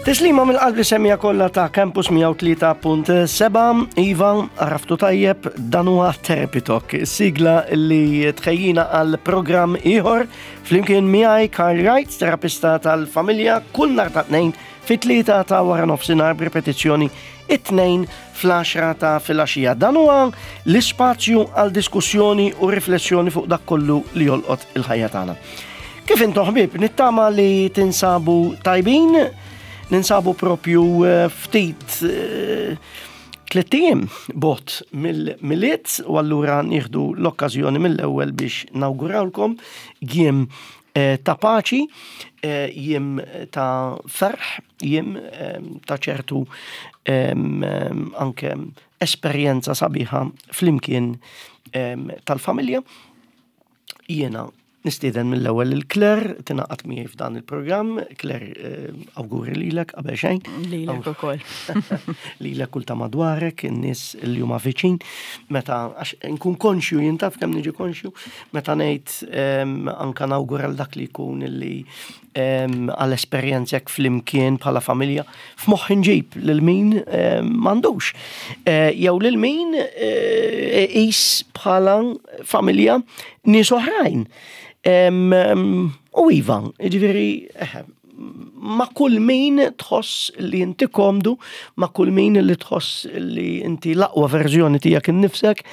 Tislima mill-qalb li semmija kollha ta' Campus 103.7, Iva, għaraftu tajjeb, dan huwa Therapy Talk, sigla li tħejjina għal programm ieħor flimkien miegħi Karl Wright, terapista tal-familja, kull nhar ta' tnejn fit-tlieta ta' wara nofsinhar b'ripetizzjoni it-tnejn fl-10 ta' filgħaxija. Dan huwa l-ispazju għal diskussjoni u riflessjoni fuq dak kollu li jolqot il-ħajja tagħna. Kif intom ħbieb, nittama li tinsabu tajbin, ninsabu propju eh, ftit eh, tliet bot mill-miliet u allura nieħdu l-okkażjoni mill-ewwel biex nawgurawlkom jiem eh, ta' paċi, jiem ta' ferħ, jiem ta' ċertu anke esperjenza sabiħa flimkien tal-familja. Jiena nistieden mill-ewwel lil Claire tingħaqad miegħi f'dan il-programm. Claire, eh, awguri lilek qabel xejn. Lilek ukoll. Lilek kull ta' madwarek, in-nies li huma viċin. Meta għax nkun konxju jien taf kemm niġi konxju, meta ngħid ehm, anka nawgura l dak li jkun illi għal esperjenza hekk flimkien bħala familja, f'moħħi nġib lil min m'għandux. Eh, jew lil min eh, iqis bħala familja nies oħrajn. U iva, ġifieri, eh, ma' kull min tħoss li inti komdu, ma' kull min li tħoss li inti l-aqwa verżjoni tiegħek innifsek,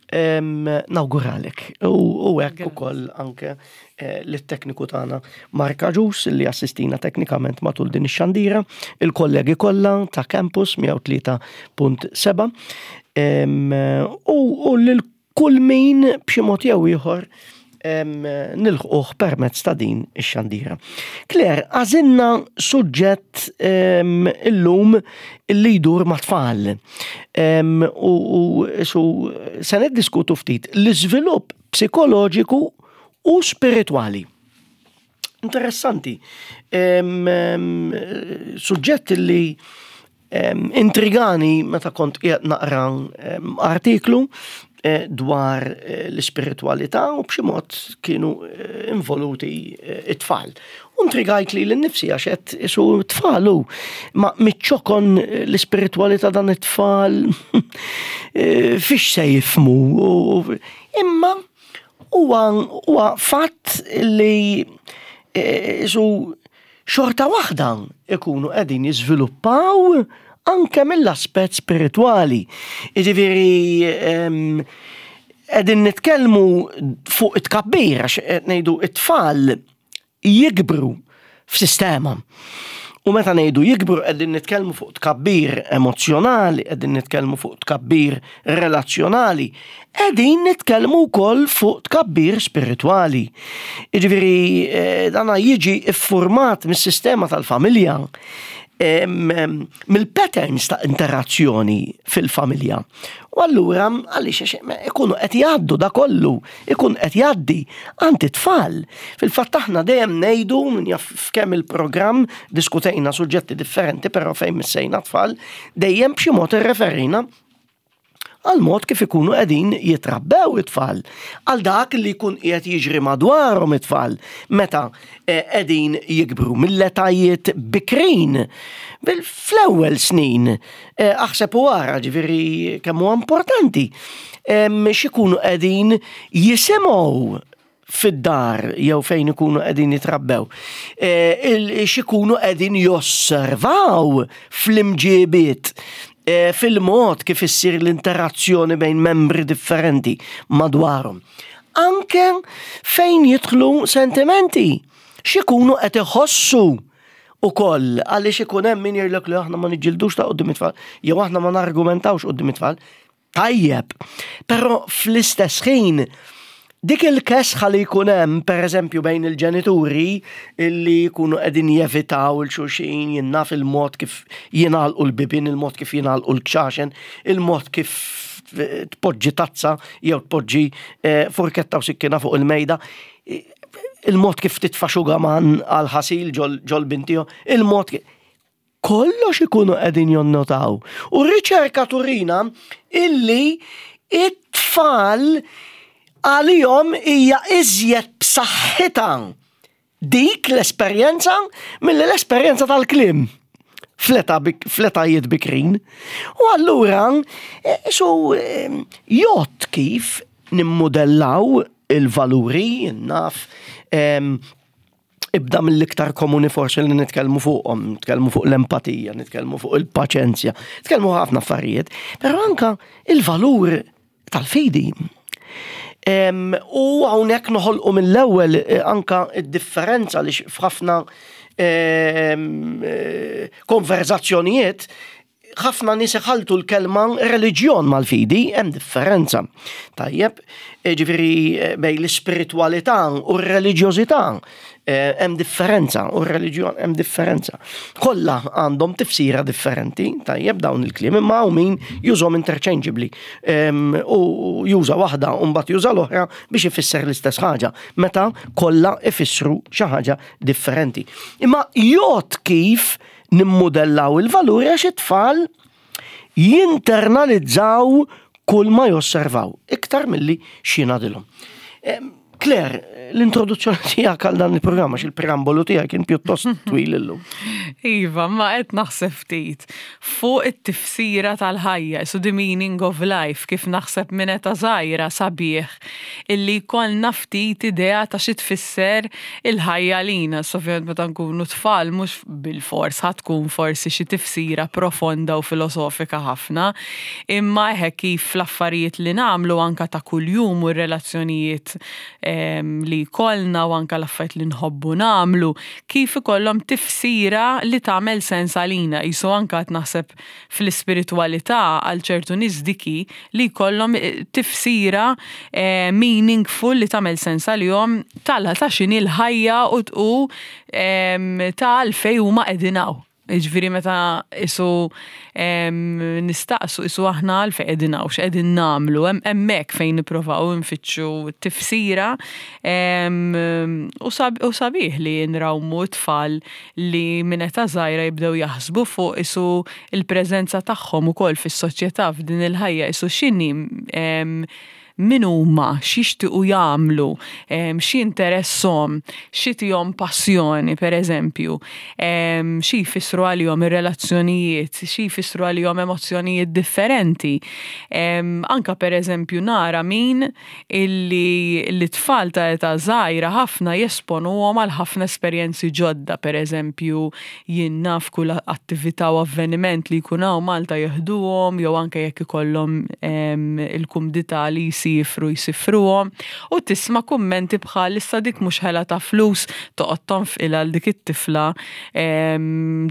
nawguralek. U hekk ukoll anke eh, lit-tekniku tagħna Mark Aġus li assistina teknikament matul din ix-xandira, il-kollegi kollha ta' Campus 103.7 u lil kull min b'xi mod jew ieħor nilħquh permezz ta' din ix-xandira. Claire, għażilna suġġett illum li jdur ma' tfal. U su se niddiskutu ftit l-iżvilupp psikoloġiku u spiritwali. Interessanti. Suġġett li intrigani meta kont qiegħed naqra artiklu eh, dwar eh, l-ispiritwalità u b'xi mod kienu eh, involuti it-tfal. U intrigajt li l-nifsi għax qed isu tfal hu ma miċ-ċokon l-ispiritwalità dan it-tfal fiex se jifmu. Imma huwa fatt li isu xorta waħda ikunu qegħdin jiżviluppaw anke mill-aspett spiritwali. Jiġifieri qegħdin nitkellmu fuq it-tkabbir għax qed ngħidu it-tfal jikbru f'sistema. U meta ngħidu jikbru qegħdin nitkellmu fuq tkabbir emozzjonali, qegħdin nitkellmu fuq tkabbir relazzjonali, qegħdin nitkellmu wkoll fuq tkabbir spiritwali. Jiġifieri eh, dana jiġi iffurmat mis-sistema tal-familja, mill-patterns ta' interazzjoni fil-familja. U allura għaliex ikunu qed jgħaddu da kollu, ikun qed jgħaddi għand it-tfal. Fil-fatt aħna dejjem ngħidu min jaf f'kemm il-programm diskutejna suġġetti differenti però fejn missejna tfal, dejjem b'xi mod irreferina għal mod kif ikunu qegħdin jitrabbew it-tfal, għal dak li jkun qiegħed jiġri madwarhom it-tfal meta eh, qegħdin jikbru mill-etajiet bikrin fl-ewwel snin. Eh, aħseb u ara ġifieri kemm huwa importanti x'ikunu qegħdin jisimgħu fid-dar jew fejn ikunu qegħdin jitrabbew, eh, x'ikunu qegħdin josservaw fl-imġibiet eh, fil-mod kif issir l-interazzjoni bejn membri differenti madwarhom. Anke fejn jidħlu sentimenti, x'ikunu qed iħossu ukoll għaliex ikun hemm min jgħidlek li aħna ma niġġildux ta' quddiem it-tfal jew aħna ma nargumentawx quddiem it-tfal. Tajjeb, però fl-istess ħin dik il-kesħa li jkun hemm pereżempju bejn il-ġenituri illi jkunu qegħdin jevitaw il xulxin jinnaf il-mod kif jingħalqu l-bibien, il-mod kif jingħalqu l-kxaxen, il-mod kif tpoġġi tazza jew tpoġġi eh, furketta u sikkina fuq il-mejda, il-mod kif titfa' xugaman għal ħasil ġol bintiju, il-mod kollox ikunu qegħdin jonnotaw. U r-riċerka turina illi it-tfal għalihom hija iżjed b'saħħitha dik l-esperjenza milli l-esperjenza tal-kliem. fl-etajiet bikrin. U allura, so jgħodd kif nimmudellaw il-valuri, naf, ibda mill-iktar komuni forsi li nitkellmu fuqhom, nitkellmu fuq l-empatija, nitkellmu fuq il-paċenzja, nitkellmu ħafna affarijiet, però anka il-valur tal-fidi. U hawnhekk noħolqu mill-ewwel eh, anka id-differenza li f'ħafna eh, konverzazzjonijiet ħafna nies iħaltu l-kelma reliġjon mal-fidi, hemm differenza. Tajjeb, eh, ġifieri eh, bejn l-ispiritwalità u r-reliġjożità eh, hemm differenza u r-reliġjon hemm differenza. Kollha għandhom tifsira differenti, tajjeb dawn il-kliem, imma hawn min jużhom interchangeably ehm, u juża waħda u mbagħad juża l-oħra biex ifisser l-istess ħaġa, meta kollha ifissru xi ħaġa differenti. Imma jgħod kif Nimmudellaw il-valuri għax it-tfal jinternalizzaw kull ma josservaw, iktar milli x'jingħadilhom. Claire, l-introduzzjoni tiegħek għal dan il-programm għax il-preambolu tiegħek kien pjuttost twil illum. Iva, ma qed naħseb ftit fuq it-tifsira tal-ħajja, so the meaning of life, kif naħseb minn età żgħira sabiħ illi jkollna ftit idea ta' xi tfisser il-ħajja għalina. Ovvjament meta nkunu tfal mhux bilfors ħa tkun forsi xi tifsira profonda u filosofika ħafna, imma eħe kif l-affarijiet li nagħmlu anke ta' kuljum u r-relazzjonijiet ehm, li jkollna u anke l-affarijiet li nħobbu nagħmlu, kif ikollhom tifsira li tagħmel sens għalina. Qisu anke qed naħseb fl-ispiritwalità għal ċertu nies dik hi li jkollhom eh, tifsira eh, meaningful li tagħmel sens għalihom tal ta' x'inhi l-ħajja u u ta' għalfejn huma qegħdin hawn. Jiġifieri meta isu nistaqsu isu aħna għalfejn qegħdin hawn, x'qegħdin nagħmlu, hemmhekk fejn nipprovaw nfittxu tifsira u sabiħ li nrawmu t-tfal li minn età żgħira jibdew jaħsbu fuq isu l-preżenza tagħhom ukoll fis-soċjetà f'din il-ħajja isu x'inhi min huma, x'jixtiequ jagħmlu, x'jinteresshom, x'itihom passjoni pereżempju, xi jfissru għalihom ir-relazzjonijiet, xi jfissru għalihom emozzjonijiet differenti. Anke pereżempju nara min illi l-tfal ta' età żgħira ħafna jesponuhom għal ħafna esperjenzi ġodda, pereżempju jien naf kull attività u avveniment li jkun hawn Malta jeħduhom jew anke jekk ikollhom il-kumdità li jsifru jsifruhom u tisma' kummenti bħal issa dik mhux ħela ta' flus toqgħod tonfqilha għal dik it-tifla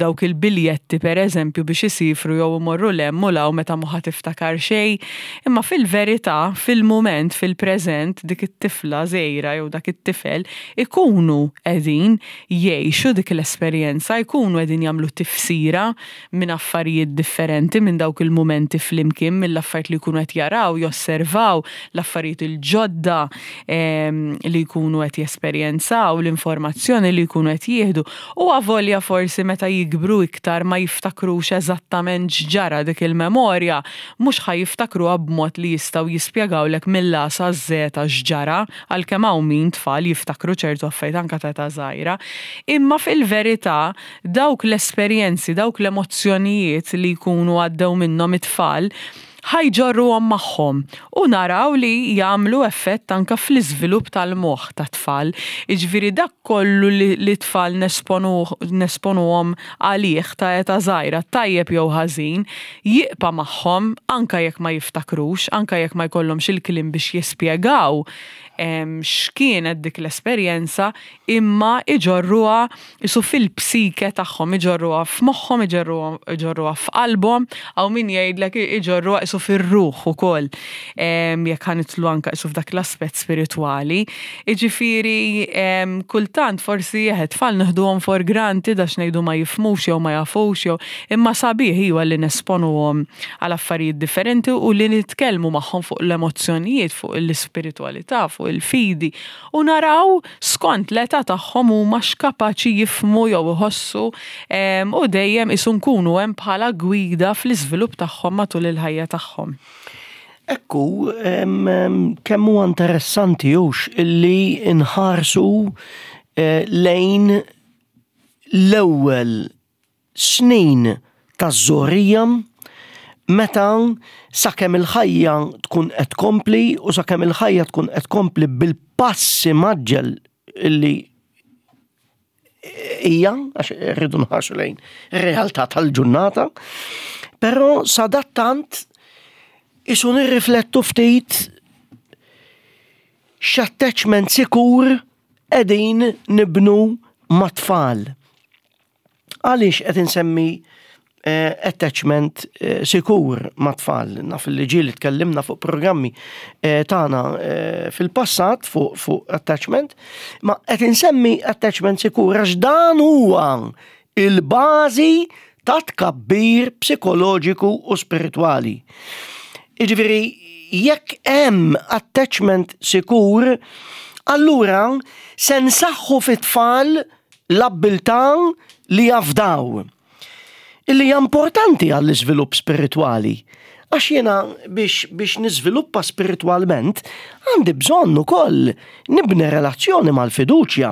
dawk il-biljetti pereżempju biex isifru jew imorru 'l hemm u 'l hawn meta mhu ħa tiftakar xejn. Imma fil-verità, fil-mument, fil-preżent, dik it-tifla żgħira jew dak it-tifel ikunu qegħdin jgħixu dik l-esperjenza, jkunu qegħdin jagħmlu tifsira minn affarijiet differenti, minn dawk il-mumenti flimkien, mill-affarijiet li jkunu qed jaraw, josservaw, l-affarijiet il-ġodda li jkunu qed jesperjenzaw, l-informazzjoni li jkunu qed jieħdu. U avolja forsi meta jikbru iktar ma jiftakrux eżattament x'ġara dik il-memorja, mhux ħa jiftakruha b'mod li jistgħu jispjegawlek mill-A saż-Żeta x'ġara, għalkemm hawn min, tfal, jiftakru ċertu affarijiet anke ta' età żgħira. Imma fil-verità, dawk l-esperjenzi, dawk l-emozzjonijiet li jkunu għaddew minnhom it-tfal, ħa jġorruhom magħhom u naraw li jagħmlu effett anke fl-iżvilupp tal-moħħ tat-tfal. Jiġifieri dak kollu li t-tfal nesponuhom għalih ta' età żgħira, tajjeb jew ħażin, jiqpa' magħhom anke jekk ma jiftakrux, anke jekk ma jkollhomx il-kliem biex jispjegaw x'kienet dik l-esperjenza, imma iġorruha qisu fil-psike tagħhom, iġorruha f'moħħhom, iġorruha f'qalbhom, hawn min jgħidlek iġorruha qisu fir-ruħ ukoll, jekk ħa nidħlu anke qisu f'dak l-aspett spiritwali. Jiġifieri kultant forsi eħe tfal nieħduhom for granted għax ngħidu ma jifhmux jew ma jafux jew imma sabiħ iwa li nesponuhom għal affarijiet differenti u li nitkellmu magħhom fuq l-emozzjonijiet, fuq l-ispiritwalità, fuq il-fidi u naraw skont l-età tagħhom huma x'kapaċi jifhmu jew iħossu u dejjem qisu nkunu hemm bħala gwida fl-iżvilupp tagħhom matul il-ħajja tagħhom. Ekku, kemm huwa interessanti hux illi nħarsu eh, lejn l-ewwel snin taż-żgħorija meta sakemm il-ħajja tkun qed tkompli u sakemm il-ħajja tkun qed tkompli bil-pass imgħaġġel illi hija, għax rridu nħarsu lejn ir-realtà tal-ġurnata, però sadattant isu nirriflettu ftit x'attachment sikur qegħdin nibnu mat-tfal. Għaliex qed insemmi eh, attachment eh, sikur ma' tfal? Naf li ġieli tkellimna fuq programmi eh, tagħna fil-passat fuq fu attachment, ma qed insemmi attachment sikur għax dan huwa il-bażi ta' tkabbir psikoloġiku u spiritwali. Jiġifieri jekk hemm attachment sikur, allura se nsaħħu fit-tfal l-abbiltà li jafdaw, illi hija importanti għall-iżvilupp spiritwali. Għax jiena biex, biex niżviluppa spiritwalment għandi bżonn ukoll nibni relazzjoni mal-fiduċja.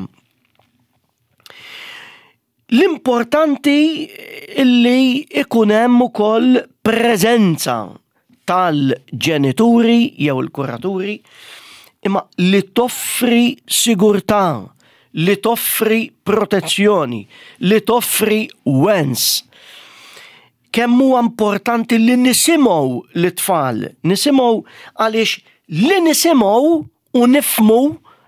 L-importanti illi ikun hemm ukoll preżenza tal-ġenituri jew il-kuraturi imma li toffri sigurtà, li toffri protezzjoni, li toffri wens. Kemm huwa importanti li nisimgħu lit-tfal, nisimgħu għaliex li nisimgħu u nifhmu,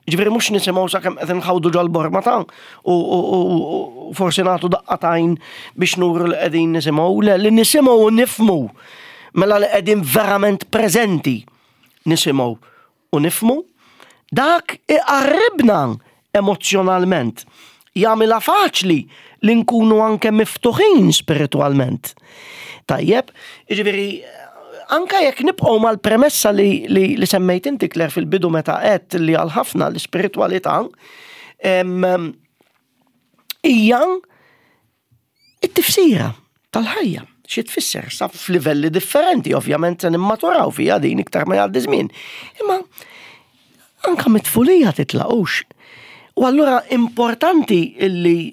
ġifieri mhux nisimgħu sakemm qed inħawdu ġol-borma ta' u forsi nagħtu daqqa t'għajn biex nuru li qegħdin nisimgħu, le li nisimgħu u nifhmu mela li qegħdin verament preżenti nisimgħu u nifhmu, dak iqarribna emozzjonalment, jagħmilha faċli li nkunu anke miftuħin spiritwalment. Tajjeb, jiġifieri anke jekk nibqgħu mal-premessa li, li, li semmejt inti Claire fil-bidu meta għedt li għal ħafna l-ispiritwalità hija it-tifsira tal-ħajja. Xi tfisser sa f'livelli differenti, ovvjament se nimmaturaw fiha din iktar ma jgħaddi żmien. Imma anka mit-tfulija titlaqux. U allura importanti illi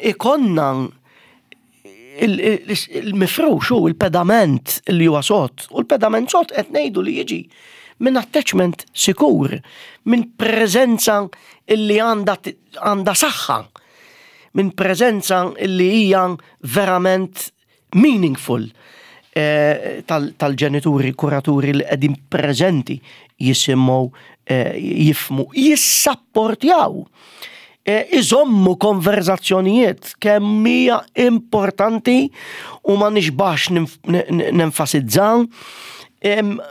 ikonna il-mifrux u il-pedament li huwa sod. U l-pedament sod qed ngħidu li jiġi minn attachment sikur, minn preżenza illi għandha saħħa, minn preżenza illi hija verament meaningful eh, tal-ġenituri, kuraturi li qegħdin preżenti jisimgħu, eh, jifmu, jissapportjaw, eh, iżommu konverzazzjonijiet kemm hija importanti u ma nixbax nenfasizza.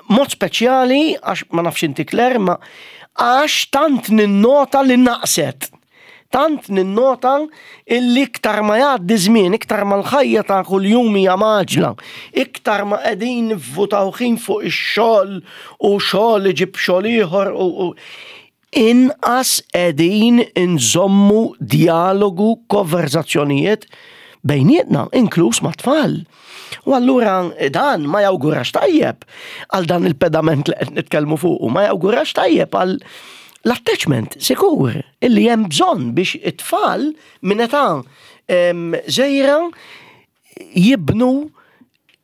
Mod speċjali, għax ma nafx inti Claire, ma għax tant ninnota li naqset. Tant ninnota illi iktar ma jgħaddi żmien, iktar ma l-ħajja ta' kuljum hija mgħaġġla, iktar ma qegħdin nivvutaw ħin fuq ix-xogħol u xogħol iġib xogħol ieħor u inqas qegħdin inżommu djalogu, konverżazzjonijiet bejnietna, inkluż mat-tfal. U allura dan ma jawgurax tajjeb għal dan il-pedament li qed nitkellmu fuqu, ma jawgurax tajjeb għal l-attachment sikur illi hemm bżonn biex it-tfal minn età żgħira jibnu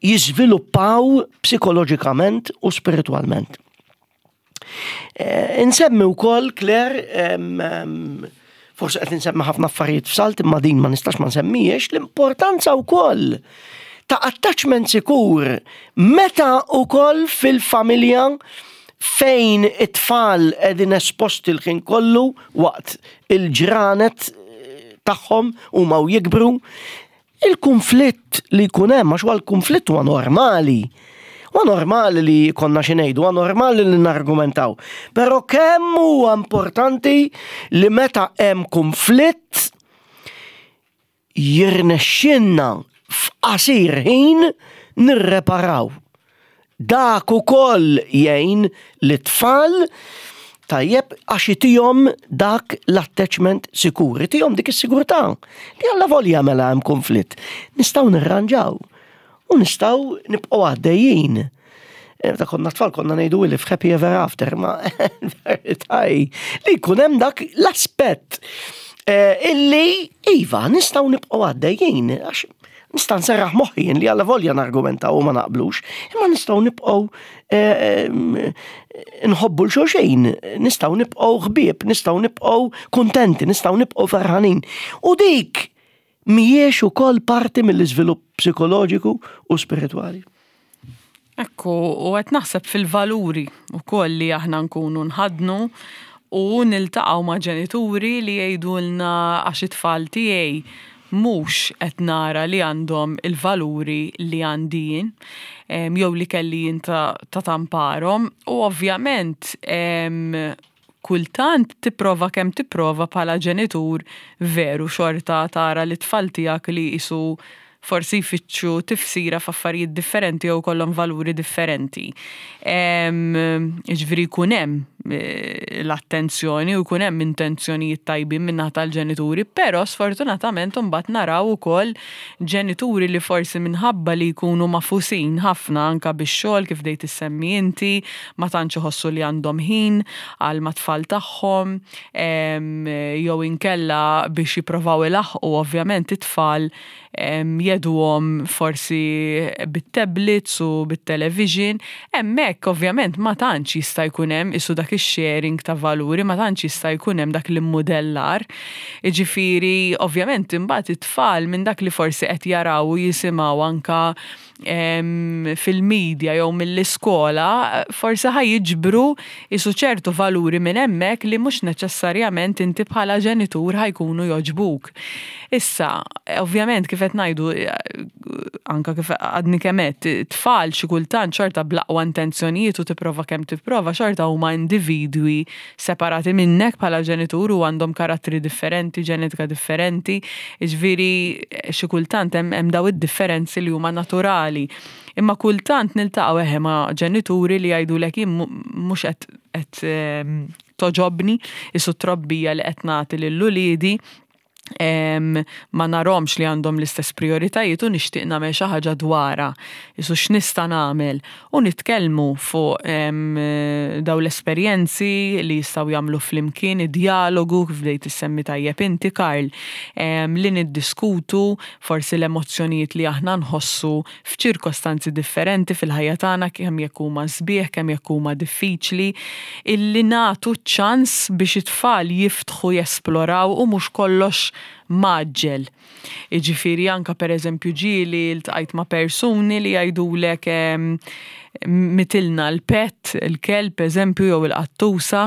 jiżviluppaw psikoloġikament u spiritwalment. Eh, insemmi wkoll Claire, forsi qed insemmi ħafna affarijiet f'salt imma din ma nistax ma nsemmijiex l-importanza wkoll ta' attachment sikur meta wkoll fil-familja fejn it-tfal qegħdin esposti l-ħin kollu waqt il-ġranet eh, tagħhom huma u jikbru Il-kunflitt li jkun hemm, għax huwa l-kunflitt huwa normali. Huwa normali li konna xi ngħidu, huwa normali li nargumentaw. Però kemm huwa importanti li meta hemm kunflitt jirnexxinna f'qasir ħin nirreparaw. Dak ukoll jgħin lit-tfal tajjeb għax itihom dak l-attachment sikur, itihom dik is-sigurtà li alla volja mela hemm konflitt. Nistgħu nirranġaw u nistgħu nibqgħu għaddejjin. Eh, meta konna tfal konna ngħidu li f'happy ever after, ma verità li jkun hemm dak l-aspett. Eh, illi, iva, nistgħu nibqgħu għaddejjin, għax nista' nserraħ moħħi li għalla volja nargumenta u ma naqblux, imma nistgħu nibqgħu eh, nħobbu l-xulxin, nistgħu nibqgħu ħbieb, nistgħu nibqgħu kuntenti, nistgħu nibqgħu ferħanin. U dik mhijiex ukoll parti mill-iżvilupp psikoloġiku u spiritwali. Ekku, u qed naħseb fil-valuri wkoll li aħna nkunu nħaddnu u niltaqgħu ma' ġenituri li jgħidulna għax it-tfal tiegħi mhux qed nara li għandhom il-valuri li għandi jien jew li kelli jien ta' tamparhom u ovvjament kultant tipprova kemm tipprova bħala ġenitur veru xorta tara lit-tfal tiegħek li qisu forsi jfittxu tifsira f'affarijiet differenti jew jkollhom valuri differenti. Jiġifieri jkun hemm eh, l-attenzjoni u jkun hemm intenzjonijiet tajbin min-naħa tal-ġenituri, però sfortunatament imbagħad naraw ukoll ġenituri li forsi minħabba li jkunu magħfusin ħafna anke bix-xogħol kif bdejt issemmi inti, ma tantx iħossu li għandhom ħin għal mat-tfal tagħhom, jew inkella biex jipprovaw ilaħħqu ovvjament it-tfal jgħeduhom forsi bit-tablets u bit-television. Hemmhekk ovvjament ma tantx jista' jkun hemm qisu dak ix-sharing ta' valuri, ma tantx jista' jkun hemm dak l-immudellar. Jiġifieri ovvjament imbagħad it-tfal minn dak li forsi qed jaraw u jisimgħu anke fil-media jew mill-iskola, forsi ħa jiġbru qisu ċertu valuri minn hemmhekk li mhux neċessarjament inti bħala ġenitur ħa jkunu jogħġbuk. Issa, ovvjament kif qed ngħidu anke kif għadni kemm għedt, tfal xi kultant xorta bl-aqwa intenzjonijiet u tipprova kemm tipprova xorta huma individwi separati minnek bħala ġenitur u għandhom karattri differenti, ġenetika differenti, jiġifieri xi kultant hemm daw id-differenzi li huma naturali. Imma kultant niltaqgħu eħe ma' ġenituri li jgħidulek jien mhux qed qed ehm, toġobni isu trobbija li qed nagħti lil uliedi ma narhomx li għandhom l-istess prioritajiet u nixtieq nagħmel xi ħaġa dwarha. Isu x'nista' nagħmel? U nitkellmu fuq daw l-esperjenzi li jistgħu jagħmlu flimkien, id-djalogu kif bdejt issemmi tajjeb inti Karl, li niddiskutu forsi l-emozzjonijiet li aħna nħossu f'ċirkostanzi differenti fil-ħajja tagħna kemm jekk huma sbieħ, kemm jekk huma diffiċli, illi nagħtu ċ-ċans biex it-tfal jiftħu jesploraw u mhux kollox mgħaġġel. Jiġifieri anke pereżempju ġieli ltqajt ma' persuni li jgħidulek mitilna l-pet, il-kelb eżempju jew il-qattusa,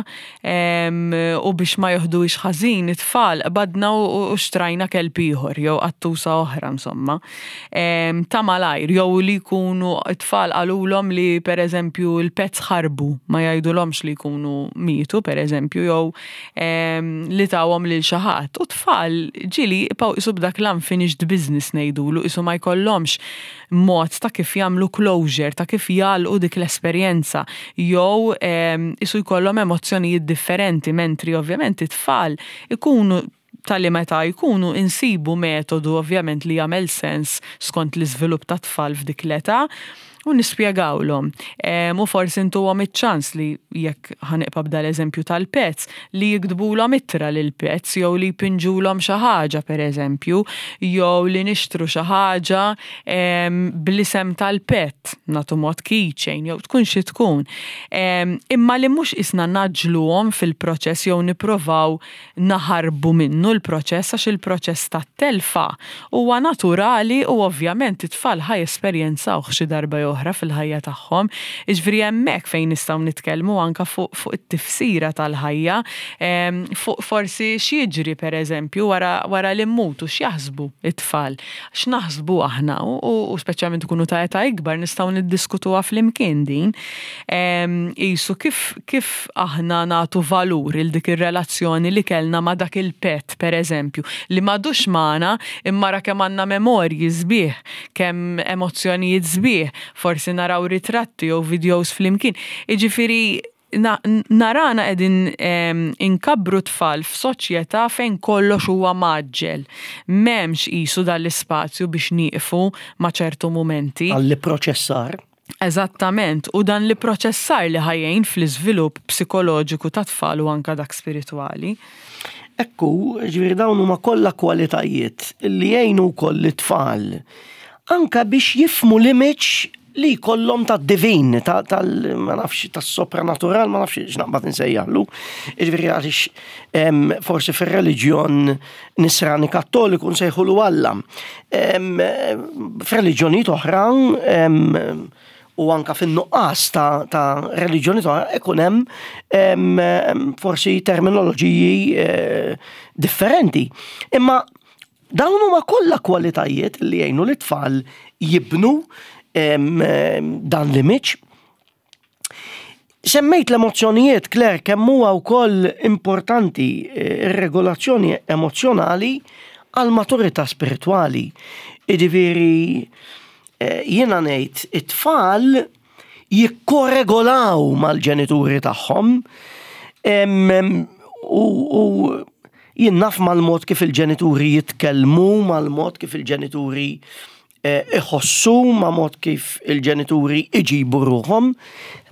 u biex ma joħduhiex ħażin it-tfal qbadna u xtrajna kelb ieħor jew qattusa oħra insomma. Ta' malajr jew li jkunu t-tfal qalulhom li pereżempju l-pets ħarbu ma jgħidulhomx li jkunu mietu pereżempju jew li tawhom lil xi ħadd. U t-tfal ġieli jibqgħu qisu b'dak l-unfinished business ngħidulu qisu ma jkollhomx mod ta' kif jagħmlu closure, ta' kif jagħlqu dik l-esperjenza jew qisu jkollhom emozzjonijiet differenti mentri ovvjament it-tfal ikunu ta' liema età jkunu insibu metodu ovvjament li jagħmel sens skont l-iżvilupp tat-tfal f'dik l-età u nispjegawlhom. U forsi ntuhom iċ-ċans li jekk ħa nibqa' b'dal-eżempju tal-pets, li jiktbulhom ittra lill-pets jew li jpinġulhom xi ħaġa pereżempju, jew li nixtru xi ħaġa bl-isem tal-pet, nagħtu mod keychain jew tkun xi tkun. Imma li mhux qisna ngħaġġluhom fil-proċess jew nipprovaw naħarbu minnu l-proċess għax il-proċess tat-telfa huwa naturali u ovvjament it-tfal ħa jesperjenzawh xi darba jew oħra fil-ħajja tagħhom. Jiġifieri hemmhekk fejn nistgħu nitkellmu anke fuq fuq it-tifsira tal-ħajja, fuq forsi x'jiġri pereżempju wara wara li mmutu, x'jaħsbu t-tfal, x'naħsbu aħna u speċjalment ikunu ta' età ikbar nistgħu niddiskutuha flimkien din. Qisu kif kif aħna nagħtu valur il dik ir-relazzjoni li kellna ma' dak il-pet pereżempju, li m'għadux magħna imma ra kemm għandna memorji sbieħ, kemm emozzjonijiet sbieħ, forsi naraw ritratti jew videos flimkien. Jiġifieri narana qegħdin inkabbru tfal f'soċjetà fejn kollox huwa mgħaġġel. M'hemmx qisu dan l-ispazju biex nieqfu ma' ċertu mumenti. Għall-ipproċessar. Eżattament, u dan l-ipproċessar li ħa jgħin fl-iżvilupp psikoloġiku tat-tfal u anke dak spiritwali. Ekku, ġifieri dawn huma kollha kwalitajiet li jgħinu wkoll lit-tfal anka biex jifhmu l-image li jkollhom tad-divin, tal, ma nafx, tas-sopranatural, ma nafx x'naqbad insejjaħlu. Jiġifieri għaliex forsi fir-reliġjon nisrani kattoliku nsejħulu Alla. F'reliġjonijiet oħra u anka fin-nuqqas ta', ta reliġjoni oħra ikun hemm forsi terminoloġiji eh, differenti. Imma dawn huma kollha kwalitajiet li jgħinu lit-tfal jibnu dan l-image. Semmejt l-emozzjonijiet, Claire, kemm huwa wkoll importanti eh, ir-regolazzjoni emozzjonali għal maturità spiritwali. Jiġifieri eh, jiena ngħid it-tfal jikkoregolaw mal-ġenituri tagħhom u jien naf mal-mod kif il-ġenituri jitkellmu, mal-mod kif il-ġenituri eh, iħossu, ma' mod kif il-ġenituri iġibu ruħhom.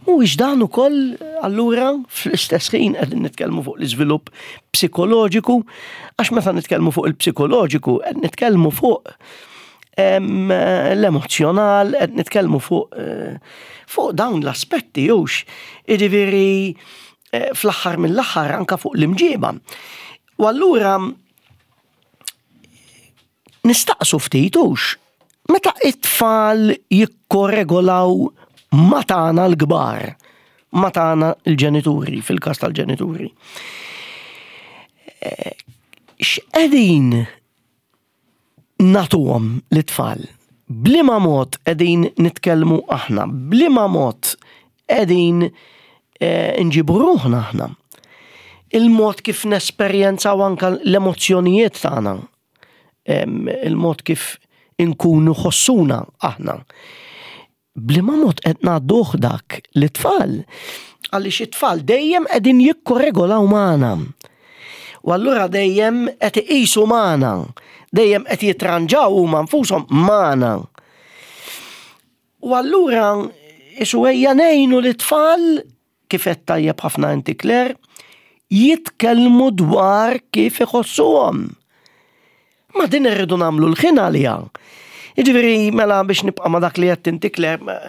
Mhuwiex dan ukoll allura fl-istess ħin qegħdin nitkellmu fuq l-iżvilupp psikoloġiku, għax meta nitkellmu fuq il-psikoloġiku qed nitkellmu fuq l-emozzjonal, qed nitkellmu fuq eh, fuq dawn l-aspetti hux. Jiġifieri eh, fl-aħħar mill-aħħar anka fuq l-imġiba. U allura Nistaqsu ftit hux, meta it-tfal jikkoregolaw ma' tagħna l-kbar, ma' tagħna l-ġenituri, fil-każ tal-ġenituri. Eh, x'qegħdin nagħtuhom lit-tfal? Bliema mod qegħdin nitkellmu aħna? Bliema mod qegħdin eh, nġibu ruħna aħna? Il-mod kif nesperjenzaw anka l-emozzjonijiet tagħna, il-mod kif inkunu ħossuna aħna. Bliema mod qed ngħadduh dak lit-tfal? Għaliex it-tfal dejjem qegħdin jikkoregolaw magħna. U allura dejjem qed iqisu magħna, dejjem qed jitranġaw huma nfushom magħna. U allura isu ejja ngħinu lit-tfal kif għedt tajjeb ħafna inti Claire, jitkellmu dwar kif iħossuhom. Ma din irridu nagħmlu l-ħin għaliha. Jiġifieri mela biex nibqa' ma' dak li qed inti Claire,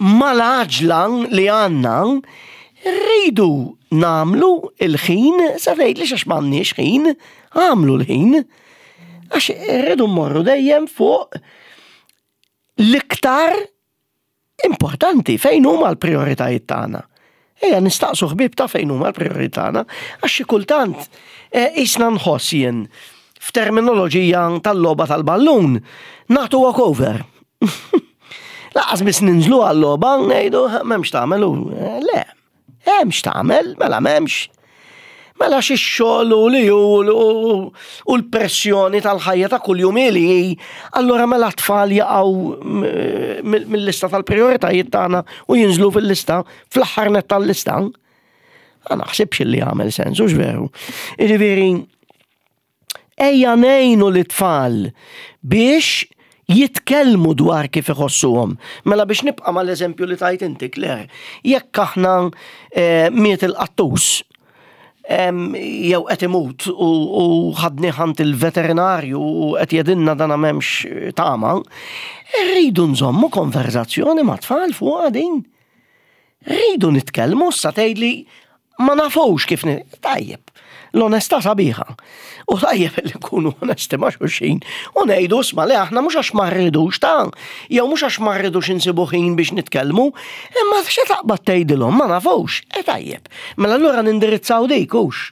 mal-għaġla li għandna rridu nagħmlu l-ħin, sa tgħidlix għax m'għandniex ħin, għamlu l-ħin. Għax irridu mmorru dejjem fuq l-iktar Importanti, fejn huma l-prijoritajiet tagħna? Ejja nistaqsu ħbieb ta' fejn huma l-prijoritajiet tagħna, għax xi kultant eh, qisna nħoss jien f'terminoloġija tal-logħba tal-ballun, nagħtu walkover. Laqas biss ninżlu għal-logħba ngħidu m'hemmx tagħmel eh, le. Hemm x'tagħmel, mela m'hemmx. Mela xi xogħol u li hu u l-pressjoni tal-ħajja ta' kuljum li hi, allura mela t-tfal jaqgħu mill-lista tal-prijoritajiet tagħna u jinżlu fil-lista fl-aħħar net tal-lista. Ma naħsibx li jagħmel sens, hux veru. Jiġifieri Ejja ngħinu lit-tfal biex jitkellmu dwar kif iħossuhom. Mela biex nibqa' mal-eżempju li tajt inti, Claire, jekk aħna eh, miet il-qattus, jew qed imut u ħadni ħant il-veterinarju u qed jedinna dana m'hemmx tama, rridu nżommu konverzazzjoni ma' tfal fuq din. Rridu nitkellmu sa tgħidli ma nafux kif tajjeb. L-onestà sabiħa. U tajjeb li nkunu onesti ma' xulxin u ngħidu sma li aħna mhux għax ma rridux ta' jew mhux għax ma rridux insibu ħin biex nitkellmu, imma xi taqbad tgħidilhom ma nafux, e tajjeb. Mela allura nindirizzaw dik hux.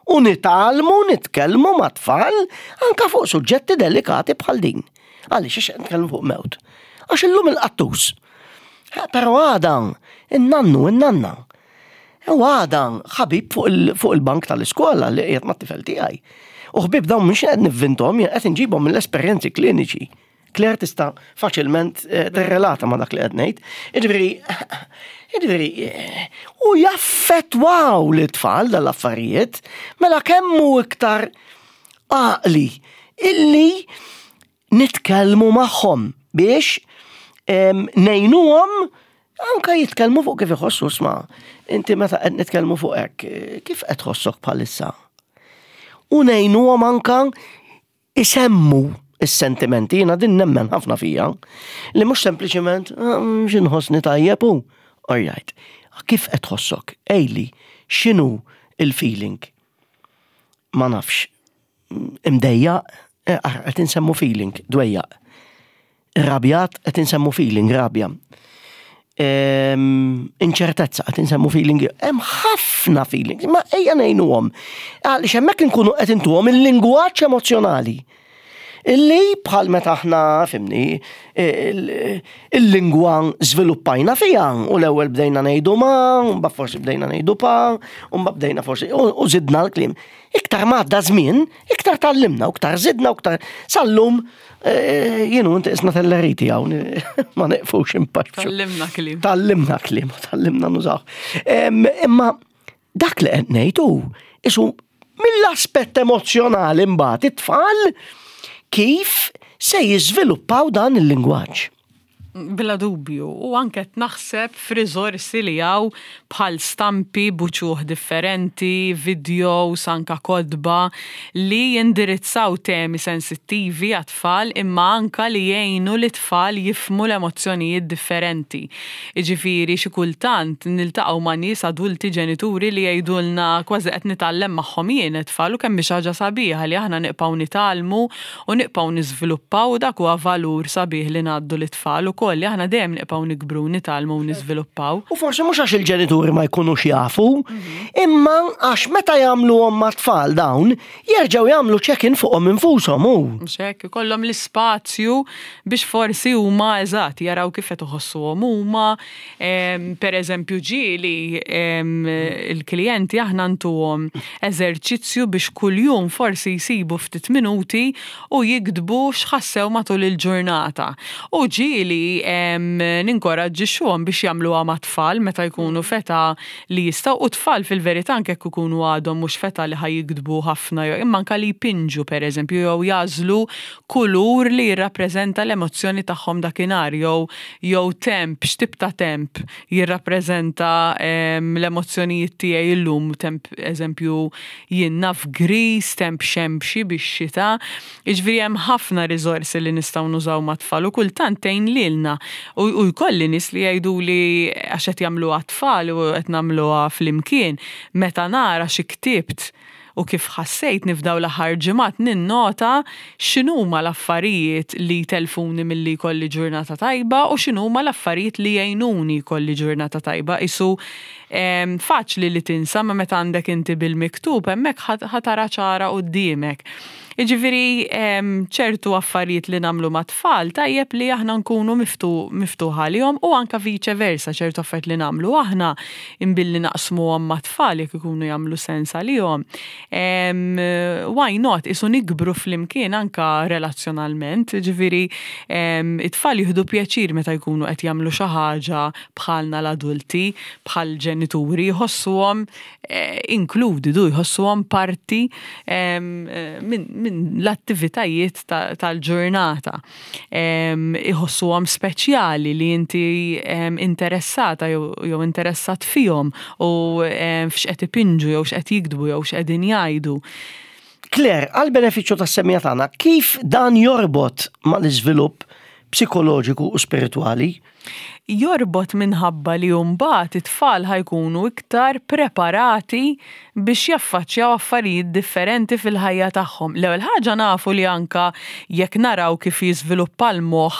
U nitgħallmu nitkellmu mat-tfal anka fuq suġġetti delikati bħal din. Għaliex għax qed nitkellmu fuq mewt. Għax illum il-qattus. Eh, però għada, in-nannu, in-nanna. U għada ħabib fuq il-bank tal-iskola li qiegħed mat-tifel tiegħi. U ħbib dawn mhux qed nivvintom, qed inġibhom mill-esperjenzi kliniċi. Claire tista' faċilment eh, tirrelata ma' dak li qed ngħid. Jiġifieri, jiġifieri, eh, u jaffettwaw li tfal dal-affarijiet, mela kemm hu iktar għaqli illi nitkellmu magħhom biex ngħinuhom anka jitkellmu fuq kif iħossu sma. Inti meta qed nitkellmu fuq hekk, kif qed tħossok bħalissa? U ngħinuhom anka isemmu is-sentimenti, jiena din nemmen ħafna fija, li mhux sempliċement ah, x'inħossni tajjeb u alright. Kif qed tħossok? Ejli, x'inhu il-feeling? Ma nafx. Imdejjaq, eh, qed insemmu feeling, dwejjaq. Rabjat, qed insemmu feeling, rabja. Inċertezza, qed insemmu feeling. Hemm ħafna feelings, ma ejja ngħinuhom. Għaliex hemmhekk inkunu qed intuhom il-lingwaġġ emozzjonali. Illi bħal meta aħna fimni il-lingwa żviluppajna fiha u l-ewwel bdejna ngħidu ma, mbagħad forsi bdejna ngħidu pa, u mbagħad bdejna forsi u żidna l-kliem. Iktar ma għadda żmien, iktar tgħallimna u iktar żidna u iktar sal-lum eh, jienu inti isna telleriti hawn ma neqfux impaċċu. Tallimna kliem. Tallimna kliem, tallimna nużaw. Imma dak li qed ngħid hu isu mill-aspett emozzjonali mbagħad it-tfal kif se jiżviluppaw dan il-lingwaġġ. Bla dubju, u anke qed naħseb f'riżorsi li hawn bħal stampi b'uċuħ differenti, vidjows, anka kotba li jindirizzaw temi sensittivi għat-tfal imma anka li jgħinu lit-tfal jifhmu l-emozzjonijiet differenti. Jiġifieri xi kultant niltaqgħu ma' nies adulti ġenituri li jgħidulna kważi qed nitgħallem magħhom jien it-tfal u kemm hi xi ħaġa sabiħa li aħna nibqgħu nitgħallmu u nibqgħu niżviluppaw u dak huwa valur sabiħ li ngħaddu lit-tfal ukoll li aħna dejjem nibqgħu nikbru u nitgħallmu u niżviluppaw. U forsi mhux għax il-ġenituri ma jkunux jafu, imma għax meta jagħmluhom mat-tfal dawn, jerġgħu jagħmlu check-in fuqhom infushom u. Mhux hekk, ikollhom l-ispazju biex forsi huma eżatt jaraw kif qed iħossuhom huma. Per eżempju ġieli il-klijenti aħna ntuhom eżerċizzju biex kuljum forsi jsibu ftit minuti u jiktbu x'ħassew matul il-ġurnata. U ġieli ninkoraġġixxuhom biex jagħmluha mat-tfal meta jkunu f'età li jistgħu u t-tfal fil-verità anke jekk ikunu għadhom mhux f'età li ħa jiktbu ħafna jew imma anke li jpinġu pereżempju jew jagħżlu kulur li jirrappreżenta l-emozzjoni tagħhom dakinhar jew jew temp, x'tip ta' temp jirrappreżenta l-emozzjonijiet tiegħi llum, temp eżempju jien naf griż, temp xemxi bix-xita. Jiġifieri hemm ħafna riżorsi li nistgħu nużaw mat-tfal u kultant tgħin lilna. U jkolli nies li jgħiduli għax qed jagħmluha t-tfal u qed nagħmluha flimkien, meta nara xi ktibt u kif ħassejtni f'dawn l-aħħar ġimgħat ninnota x'inhuma l-affarijiet li jtellfuni milli jkolli ġurnata tajba u x'inhuma l-affarijiet li jgħinuni jkolli ġurnata tajba. Qisu faċli li tinsa ma meta għandek inti bil-miktub hemmhekk ħa tara ċara quddiemek. Jiġifieri ċertu affarijiet li nagħmlu mat-tfal tajjeb li aħna nkunu miftuħa għalihom u anke vice versa ċertu affarijiet li nagħmlu aħna imbilli naqsmuhom mat-tfal jekk ikunu jagħmlu sens għalihom. Why not? Isu nikbru flimkien anke relazzjonalment, jiġifieri it-tfal jieħdu pjaċir meta jkunu qed jagħmlu xi ħaġa bħalna l-adulti, bħall-ġenituri, jħossuhom inkludi du jħossuhom parti minn l-attivitajiet tal-ġurnata. Iħossuhom speċjali li inti interessata jew interessat fihom u f'x'qed ipinġu jew x'qed jiktbu jew x'qegħdin jgħidu. Claire, għall-benefiċċju tas-semmiegħa tagħna, kif dan jorbot mal-iżvilupp psikoloġiku u spiritwali? Jorbot minħabba li mbagħad it-tfal ħa jkunu iktar preparati biex jaffaċċjaw affarijiet differenti fil-ħajja tagħhom. L-ewwel ħaġa nafu li anka jekk naraw kif jiżviluppa l-moħħ,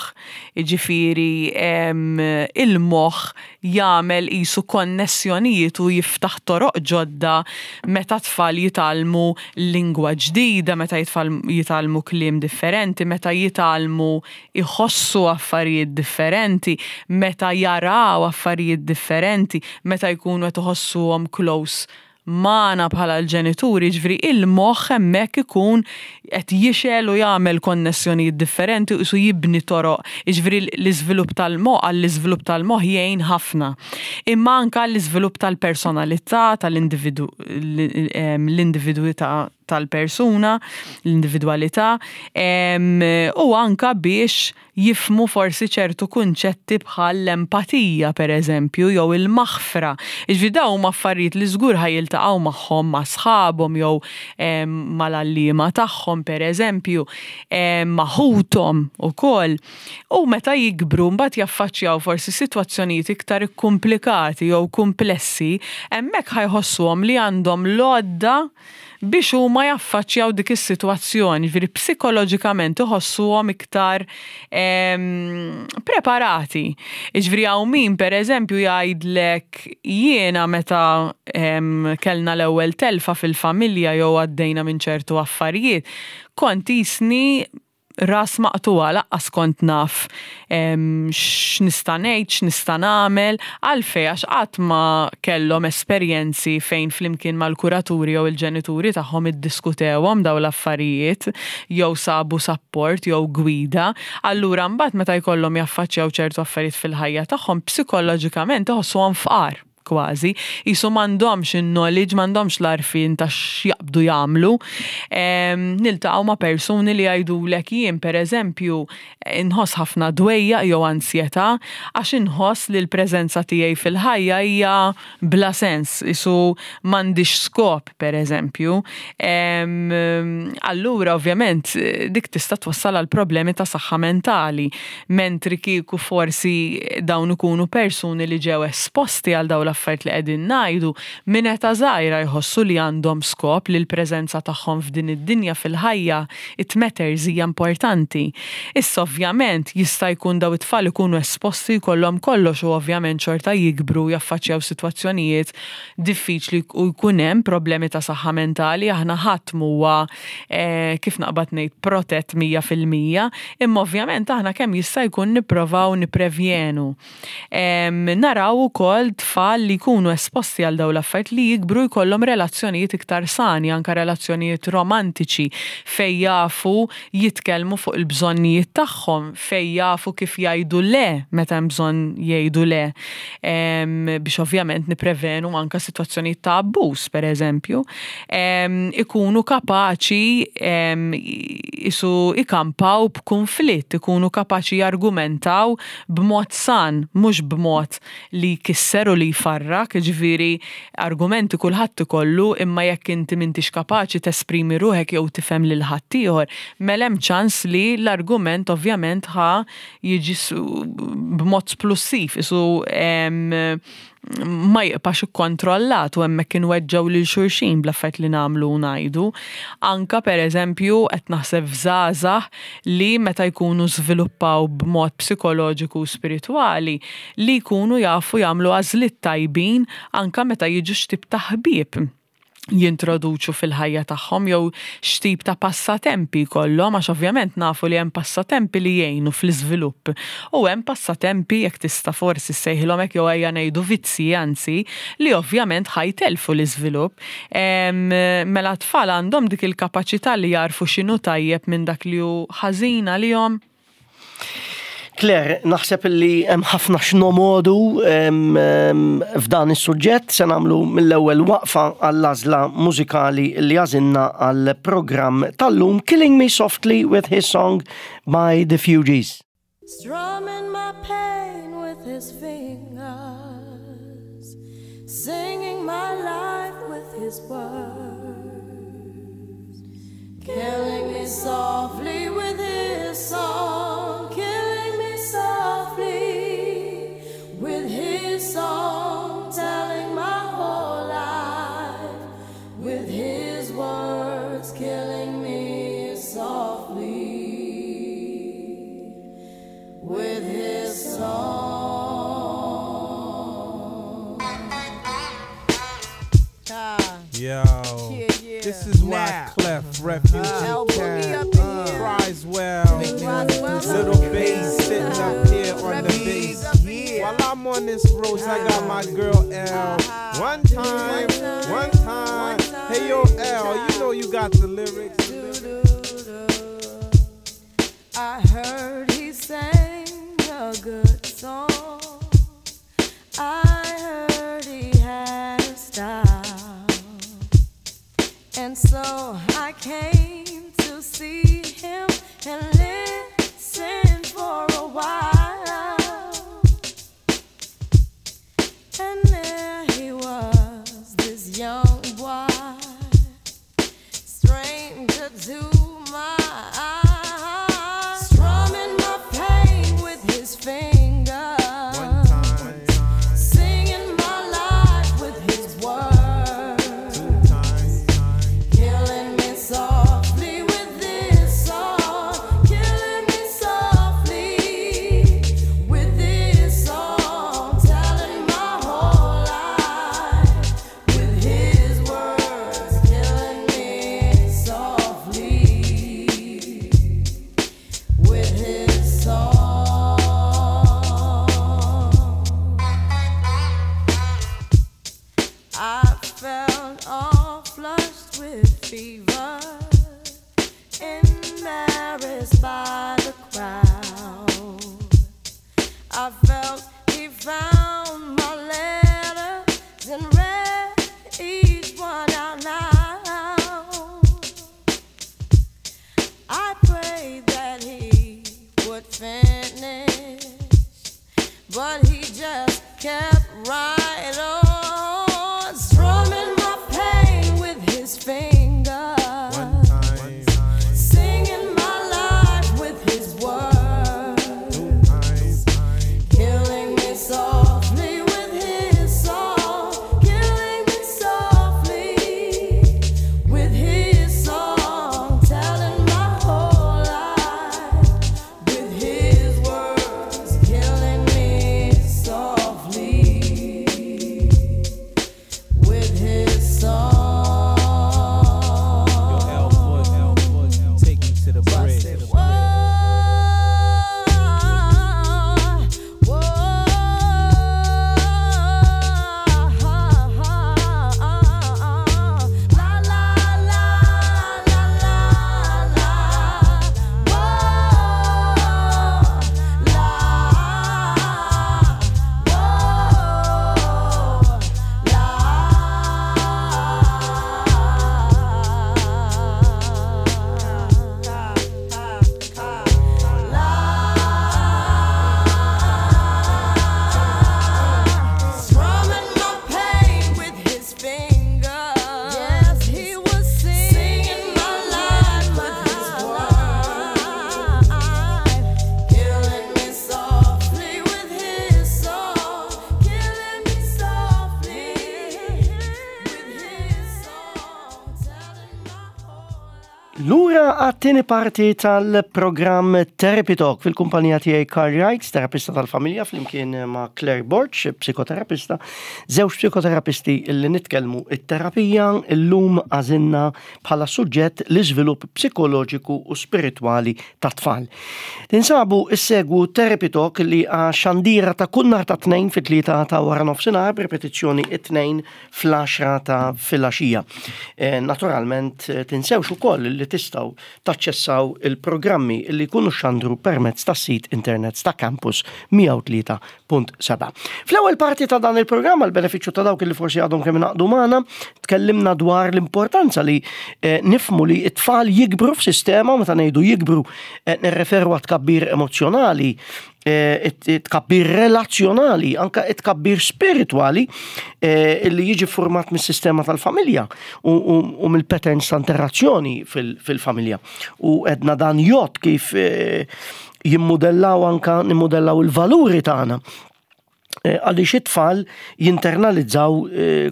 jiġifieri il-moħħ jagħmel qisu konnessjonijiet u jiftaħ toroq ġodda meta t-tfal jitgħallmu lingwa ġdida, meta jitgħallmu kliem differenti, meta jitgħallmu iħossu affarijiet differenti, meta jaraw affarijiet differenti, meta jkunu qed iħossuhom close magħna bħala l-ġenituri, jiġifieri il-moħħ hemmhekk ikun qed jixgħel u jagħmel konnessjonijiet differenti u qisu jibni toroq, jiġifieri l-iżvilupp tal-moħħ għall-iżvilupp tal-moħħ jgħin ħafna. Imma anke għall-iżvilupp tal-personalità, tal-individu l-individwità. tal-persuna, l-individwalità, u anka biex jifhmu forsi ċertu kunċetti bħal l-empatija pereżempju jew il-maħfra. Jiġifieri dawn huma affarijiet li żgur ħa jiltaqgħu magħhom ma' sħabhom jew mal-għalliema tagħhom pereżempju, ma' ħuthom ukoll. U meta jikbru mbagħad jaffaċċjaw forsi sitwazzjonijiet iktar ikkumplikati jew kumplessi, hemmhekk ħa jħossuhom li għandhom l-għodda biex huma jaffaċċjaw dik is-sitwazzjoni, jiġifieri psikoloġikament iħossuhom iktar preparati. Jiġifieri hawn min pereżempju jgħidlek jiena meta kellna l-ewwel telfa fil-familja jew għaddejna minn ċertu affarijiet, kont qisni ras maqtugħa laqqas kont naf x'nista' ngħid, x'nista' nagħmel, għalfejn għax qatt ma kellhom esperjenzi fejn flimkien mal-kuraturi jew il-ġenituri tagħhom iddiskutewhom dawn l-affarijiet jew sabu sapport jew gwida. Allura mbagħad meta jkollhom jaffaċċjaw ċertu affarijiet fil-ħajja tagħhom psikoloġikament iħossuhom fqar. kważi, qisu m'għandhomx in-knowledge, m'għandhomx l-għarfien ta' x'jaqbdu jagħmlu. Niltaqgħu ma' persuni li jgħidulek jien pereżempju inħoss ħafna dwejjaq jew ansjetà għax inħoss li l-preżenza tiegħi fil-ħajja hija bla sens, qisu m'għandix skop pereżempju. Allura ovvjament dik tista' twassal għal problemi ta' saħħa mentali. Mentri kieku forsi dawn ikunu persuni li ġew esposti għal dawn l-affarijiet li qegħdin ngħidu, minn età żgħira jħossu li għandhom skop, li l-preżenza tagħhom f'din id-dinja fil-ħajja it matters hija importanti. Issa ovvjament jista' jkun dawn it-tfal ikunu esposti jkollhom kollox u ovvjament xorta jikbru u jaffaċċjaw sitwazzjonijiet diffiċli u jkun hemm problemi ta' saħħa mentali, aħna ħadd m'huwa kif naqbad ngħid protett 100%, imma ovvjament aħna kemm jista' jkun nipprovaw nipprevjenu. Naraw ukoll tfal li jkunu esposti għal dawn l-affarijiet li jikbru jkollhom relazzjonijiet iktar sani, anke relazzjonijiet romantiċi fejn jafu jitkellmu fuq il-bżonnijiet tagħhom, fejn jafu kif jgħidu le meta hemm bżonn jgħidu le. Biex ovvjament nipprevenu anke sitwazzjonijiet ta' abbuż, pereżempju. Ikunu kapaċi isu ikampaw b'kunflitt, ikunu kapaċi jargumentaw b'mod san, mhux b'mod li jkisser u li jfarrak, jiġifieri argumenti kulħadd ikollu imma jekk inti m'intix kapaċi tesprimi ruħek jew tifhem lil ħaddieħor, mela hemm ċans li l-argument ovvjament ħa jiġi b'mod splussiv, isu ma jibqax ikkontrollat u hemmhekk inweġġgħu lil xulxin bl-affarijiet li nagħmlu u ngħidu. Anke pereżempju qed naħseb f'żgħażagħ li meta jkunu żviluppaw b'mod psikoloġiku u spiritwali li jkunu jafu jagħmlu għażliet tajbin anke meta jiġu x'tip ta' ħbieb jintroduċu fil-ħajja tagħhom jew x'tip ta' passatempi jkollhom għax ovvjament nafu li hemm passatempi li jgħinu fl-iżvilupp u hemm passatempi jekk tista' forsi ssejħilhom hekk jew ejja ngħidu vizzji anzi li ovvjament ħa jtellfu l-iżvilupp. Mela t-tfal għandhom dik il-kapaċità li jagħrfu x'inhu tajjeb minn dak li hu ħażin għalihom. Claire, naħseb li hemm ħafna x'nomodu f'dan is-suġġett se nagħmlu mill-ewwel waqfa għall-għażla mużikali li għażilna għall-programm tal-lum Killing Me Softly with His Song by The Fugees. Strumming my pain with his fingers, singing my life with his words. Killing me softly with his song, killing me softly with his song, telling my whole life with his words, killing me softly with his song. Yo, Yeah, yeah. this is why Now. Clef, Refugee El Boogie Cat, up in here. Criswell, Roswell Little up in Bass here. sitting up here on the Refugees bass. up in here. While I'm on this road, I got my girl L. One time, one time. Hey yo, L, you know you got the lyrics. I heard he sang a good song. I heard he had a style. And so I came to see him and listen for a while. And there he was, this young boy, stranger to my eyes, strumming my pain with his fingers, One time, singing my life with his words, two times, killing me softly with this song, killing me softly with this song, telling my whole life with his words, killing me softly with his song. I felt all flushed with fever, embarrassed by the crowd. I felt he found my letters and read each one out loud. I prayed that he would finish, but he just kept right on, strumming my pain with his fingers, one time, singing my life with his words, two times, killing me softly with his song, killing me softly with his song, telling my whole life with his words, killing me softly with his song. Yo, L Foot, take me to the bridge. Strumming my pain with his fingers. Yes, he was singing my life with his words, killing me softly with his song, killing me softly with his song, telling my whole life. Lura għat-tieni parti tal-programm Therapy Talk fil-kumpanija tiegħi Carl Wright, terapista tal-familja, flimkien ma' Claire Borg, psikoterapista, żewġ psikoterapisti illi nitkellmu it-terapija illum għażilna bħala suġġett l-iżvilupp psikoloġiku u spiritwali ta' tfal. Tinsabu issegwu Therapy Talk li xandira ta' kull nhar ta' tnejn fit-3 ta' wara nofsinhar b'ripetizzjoni it-tnejn fl-10 ta' filgħaxija. Naturalment tinsewx ukoll li tistgħu taċċessaw il-programmi li jkunu xandru permezz tas-sit internet ta' Campus 103.7. Fl-ewwel parti ta' dan il-programm għal benefiċċju ta' dawk li forsi għadhom kemm ingħaqdu magħna, tkellimna dwar l-importanza li nifhmu li t-tfal jikbru f'sistema, meta ngħidu jikbru nirreferu għat tkabbir emozjonali, it-tkabbir relazzjonali, anka it-tkabbir spiritwali li jiġi format mis-sistema tal-familja u mill-patterns ta' interazzjoni fil-familja. U edna dan jgħodd kif jimmodellaw anka nimmodellaw il-valuri tagħna. Għaliex it-tfal jinternalizzaw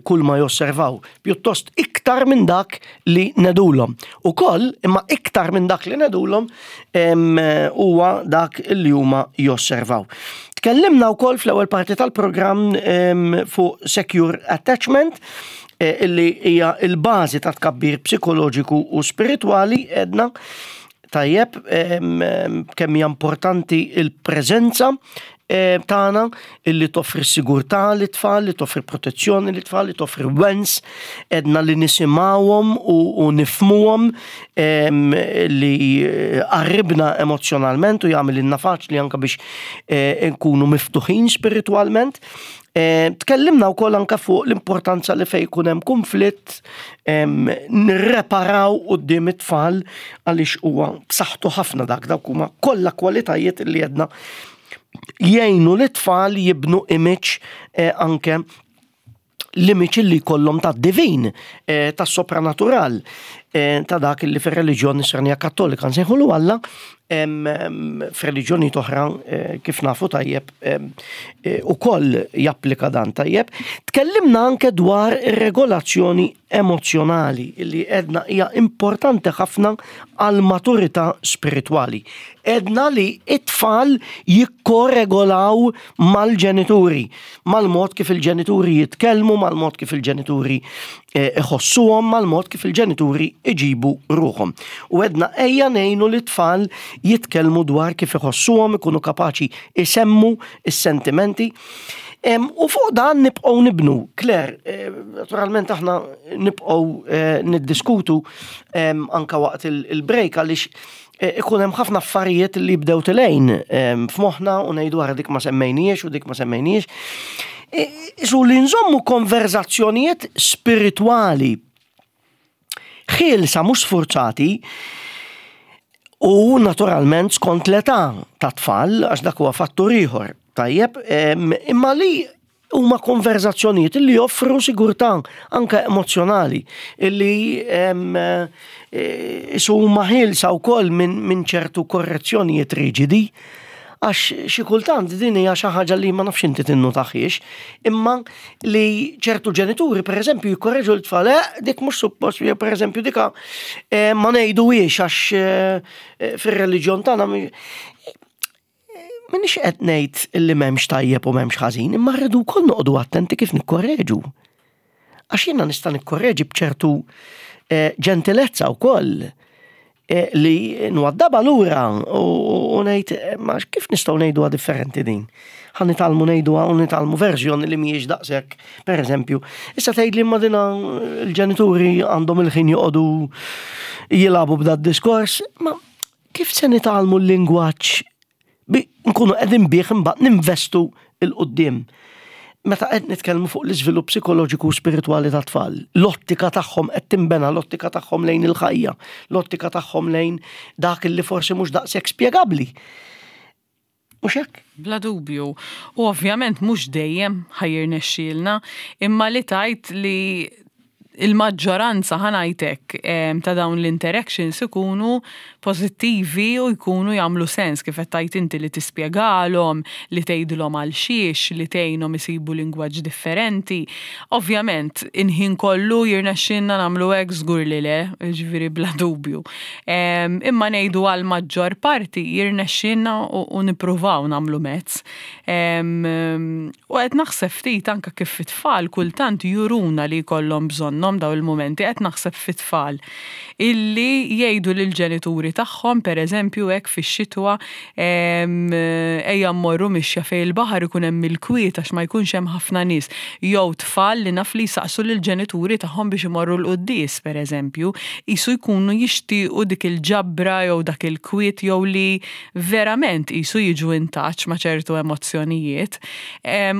kull ma josservaw, pjuttost iktar minn dak li ngħidulhom. Ukoll, imma iktar minn dak li ngħidulhom huwa dak li huma josservaw. Tkellimna wkoll fl-ewwel parti tal-programm fuq secure attachment, illi hija il-bażi ta' tkabbir psikoloġiku u spiritwali. Edna tajjeb kemm hija importanti il-preżenza tagħna illi toffri sigurtà lit-tfal, li toffri protezzjoni lit-tfal, li toffri wens, edna li nisimgħuhom u nifhmuhom, li qarribna emozjonalment u jagħmel ilna faċli anke biex nkunu miftuħin spiritwalment. Tkellimna wkoll anke fuq l-importanza li fejn ikun hemm kunflitt nirreparaw quddiem it-tfal għaliex huwa b'saħħtu ħafna dak dawk huma kollha kwalitajiet li għedna jgħinu lit-tfal jibnu image anke l-image li jkollhom tad-divin, tas-sopranatural, ta' dak li fir-reliġjon Nisranija Kattolika nsejħulu Alla, f'reliġjonijiet oħra kif nafu tajjeb ukoll japplika dan tajjeb. Tkellimna anke dwar ir-regolazzjoni emozzjonali li għedna hija importanti ħafna għal maturità spiritwali. Għedna li it-tfal jikkoregolaw mal-ġenituri, mal-mod kif il-ġenituri jitkellmu, mal-mod kif il-ġenituri eh, iħossuhom, mal-mod kif il-ġenituri iġibu ruħhom. U għedna ejja ngħinu li tfal jitkellmu dwar kif iħossuhom, ikunu kapaċi isemmu is-sentimenti. U fuq dan nibqgħu nibnu. Claire, eh, naturalment aħna nibqgħu eh, niddiskutu anka waqt il-break għaliex eh, ikun hemm ħafna affarijiet li jibdew tilejn f'moħħna u ngħidu wara dik ma semmejniex u dik ma semmejniex. Isu li nżommu konverzazzjonijiet spiritwali ħielsa mhux sfurzati u naturalment skont l-età ta' tfal għax dak huwa fattur ieħor. Tajjeb, imma li huma konverzazzjonijiet li joffru sigurtà anke emozjonali illi eh, isu huma ħielsa wkoll minn ċertu korrezzjonijiet riġidi għax xi kultant din hija xi ħaġa li ma nafx inti tinnutaħiex, imma li ċertu ġenituri pereżempju jikkorreġu l-tfal, eh, dik mhux suppost, jew pereżempju dika eh, ma ngħiduhiex għax eh, eh, fir-reliġjon tagħna Minix qed ngħid li m'hemmx tajjeb u m'hemmx ħażin, imma rridu wkoll noqogħdu attenti kif nikkorreġu. Għax jiena nista' nikkorreġi b'ċertu ġentilezza wkoll Eh, li nwaddaba lura u ngħid eh, ma kif nistgħu ngħiduha differenti din. Ħa nitgħallmu ngħiduha u nitgħallmu verżjoni li mhijiex daqshekk, pereżempju. Issa tgħid li ma dina l-ġenituri għandhom il-ħin joqogħdu jilagħbu b'da diskors, ma kif se nitgħallmu l-lingwaġġ Bi nkunu qegħdin bih imbagħad ninvestu 'l quddiem. Meta qed nitkellmu fuq l-iżvilupp psikoloġiku u spiritwali tat-tfal, l-ottika tagħhom qed tinbena, l-ottika tagħhom lejn il-ħajja, l-ottika tagħhom lejn dak li forsi mhux daqshekk spjegabbli. Mhux hekk? Bla dubju. U ovvjament mhux dejjem ħa jirnexxielna, imma li tgħid li il-maġġoranza ħa ngħid hekk ta' dawn l-interactions ikunu pożittivi u jkunu jagħmlu sens kif qed tgħid inti li tispjegalhom, li tgħidilhom għal xiex, li tgħinhom isibu lingwaġġ differenti. Ovvjament, il-ħin kollu jirnexxielna nagħmlu hekk żgur li le, jiġifieri bla dubju. Imma ngħidu għall-maġġor parti jirnexxielna u nippruvaw nagħmlu mezz. U qed naħseb ftit anke kif it-tfal kultant juruna li jkollhom bżonnhom dawn il-mumenti, qed naħseb fit-tfal illi jgħidu lill-ġenituri tagħhom pereżempju hekk fix-xitwa ejja mmorru mixja fejn il-baħar ikun hemm il-kwiet għax ma jkunx hemm ħafna nies. Jew tfal li naf li jsaqsu lill-ġenituri tagħhom biex imorru l-quddies pereżempju, qisu jkunu jixtiequ dik il-ġabra jew dak il-kwiet jew li verament qisu jiġu in touch ma' ċertu emozzjonijiet.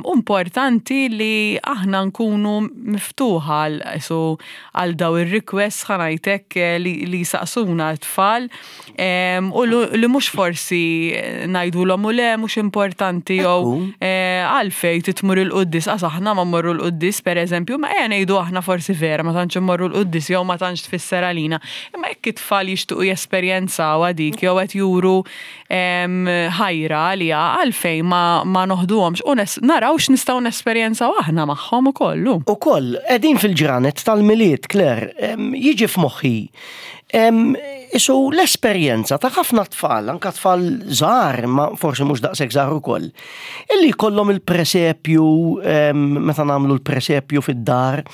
U importanti li aħna nkunu miftuħa għal qisu għal daw ir-requests ħa ngħid hekk eh, li, li jsaqsuna t-tfal u li mhux forsi ngħidulhom u le mhux importanti jew eh, għalfejn titmur il-quddis għax aħna ma mmorru l-quddis pereżempju, ma ejja ngħidu aħna forsi vera ma tantx immorru l-quddis jew ma tantx tfisser għalina. Imma jekk it-tfal jixtiequ jesperjenzawha dik jew qed juru ħajra għaliha għalfejn ma, ma noħduhomx u naraw x'nistgħu nesperjenzaw aħna magħhom ukoll. Ukoll, qegħdin fil-ġranet tal-Milied, Claire, jiġi f'moħħi isu l-esperjenza ta' ħafna tfal, anka tfal żgħar, ma forsi mhux daqshekk żgħar ukoll, illi jkollhom il-presepju meta nagħmlu l-presepju fid-dar.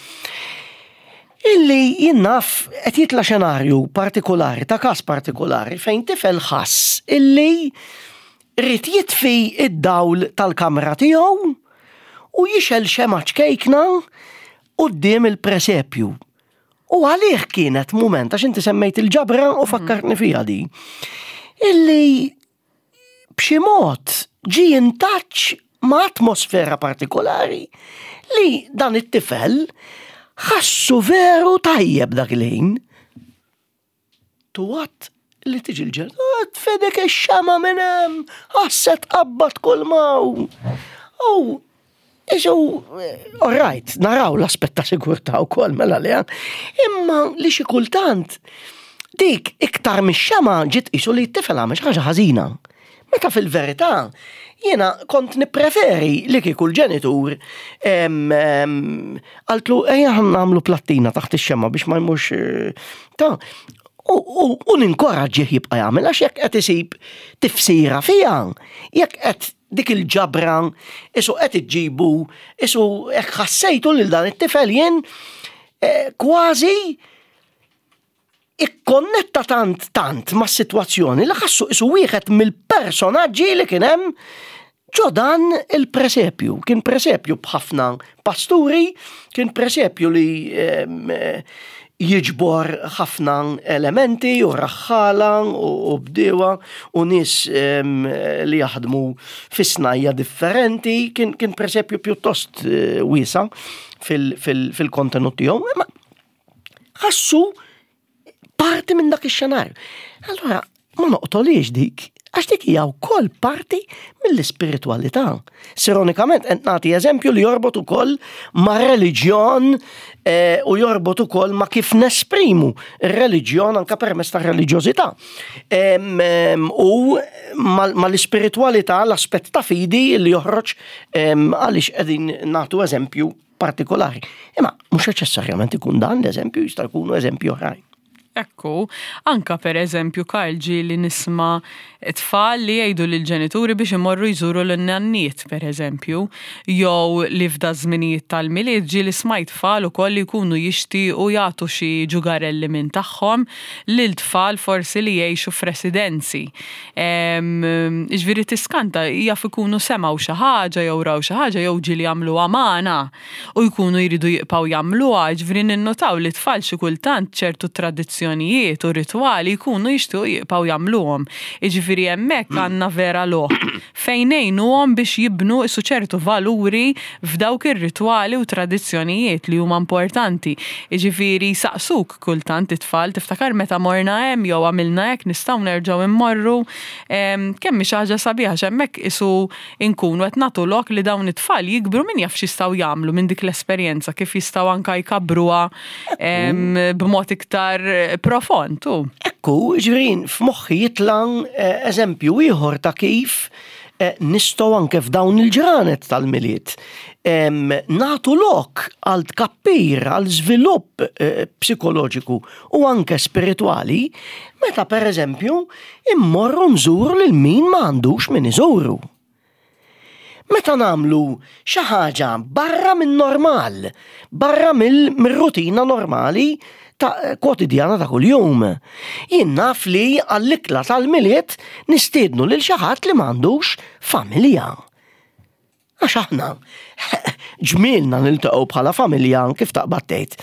Illi jien naf qed jitla' xenarju partikolari ta' każ partikolari fejn tifel ħass illi ried jitfi id-dawl tal-kamra tiegħu u jixgħel xemgħa ċkejkna quddiem il-presepju. U għalih kienet mument, għax inti semmejt il-ġabra u fakkartni fiha di, illi b'xi mod ġie in touch ma' atmosfera partikolari li dan it-tifel ħassu veru tajjeb dak il-ħin. Tuwat li tiġi l-ġen, ah, tfedek ix-xama minn hemm, ħasset qabbat kull maw. U Isu, all right, naraw l-aspett ta' sigurtà wkoll mela li imma li xi kultant dik iktar mix-xema ġiet qisu li t-tifel għamel xi ħaġa ħażina. Meta fil-verità jiena kont nippreferi li kieku l-ġenitur qaltlu ejja nagħmlu plattina taħt ix-xema biex ma jmurx eh, ta' u ninkoraġġih jibqa' jagħmel għax jekk qed isib tifsira fiha, jekk qed dik il-ġabra isu qed iġġibu isu hekk ħassejtu lil dan it-tifel jien eh, kważi ikkonnetta tant tant mas-sitwazzjoni li ħassu isu wieħed mill-personaġġi li kien hemm ġo dan il-presepju. Kien presepju b'ħafna pasturi, kien presepju li eh, jiġbor ħafna elementi u raħħala u bdiewa u nies li jaħdmu fi snajja differenti, kien, kien presepju pjuttost eh, wiesa fil-kontenut tiegħu. Imma ħassu parti minn dak ix-xenarju. Allora, ma noqtolix dik, għax dik hija wkoll parti mill-ispiritwalità. Sironikament qed nagħti eżempju li jorbot ukoll ma' reliġjon eh, u jorbot ukoll ma' kif nesprimu r-reliġjon anka permezz ta' reliġjożità. U mal-ispiritwalità l-aspett ta' fidi li joħroġ għaliex qegħdin nagħtu eżempju partikolari. Imma mhux neċessarjament ikun dan l-eżempju, jista' jkunu eżempju oħrajn. Ekku, anka per eżempju Karl ġieli nisma' tfal li jgħidu lill-ġenituri biex imorru jżuru lin-nanniet per eżempju, jew li f'da żminijiet tal-Milied ġieli smajt tfal ukoll li jkunu jixtiequ jagħtu xi ġugarelli minn tagħhom lil tfal forsi li jgħixu f'residenzi. Jiġifieri tiskanta jaf ikunu semgħu xi ħaġa jew raw xi ħaġa jew ġieli għamluha magħna. u jkunu jridu jibqgħu jagħmluha, jiġifieri ninnotaw li t-tfal xi kultant ċertu tradizzjonijiet u ritwali jkunu jixtiequ jibqgħu jagħmluhom. Jiġifieri hemmhekk għandna vera lok fejn ngħinuhom biex jibnu isu ċertu valuri f'dawk ir-ritwali u tradizzjonijiet li huma importanti. Jiġifieri jsaqsuk kultant it-tfal, tiftakar meta morna hemm jew għamilna hekk nistgħu nerġgħu mmorru? Kemm hi xi ħaġa sabiħa għax hemmhekk isu inkunu qed nagħtu lok li dawn it-tfal jikbru min jaf x'jistgħu jagħmlu minn dik l-esperjenza, kif jistgħu anka jkabbruha b'mod iktar profond. Ekku, ġifieri f'moħħi jitla' eh, eżempju ieħor ta' kif eh, nistgħu anke f'dawn il-ġranet tal-Milied nagħtu lok għal tkabbir, għal żvilupp eh, psikoloġiku u anke spiritwali, meta pereżempju immorru nżuru lil min ma għandux min iżuru. Meta nagħmlu xi ħaġa barra min-normal, barra mill-rutina normali ta' kwotidjana ta' kuljum. Jien naf li għall-ikla tal-Milied nistiednu lil xi ħadd li m'għandux familja. Għax aħna ġmielna niltaqgħu bħala familja kif taqbad tgħid.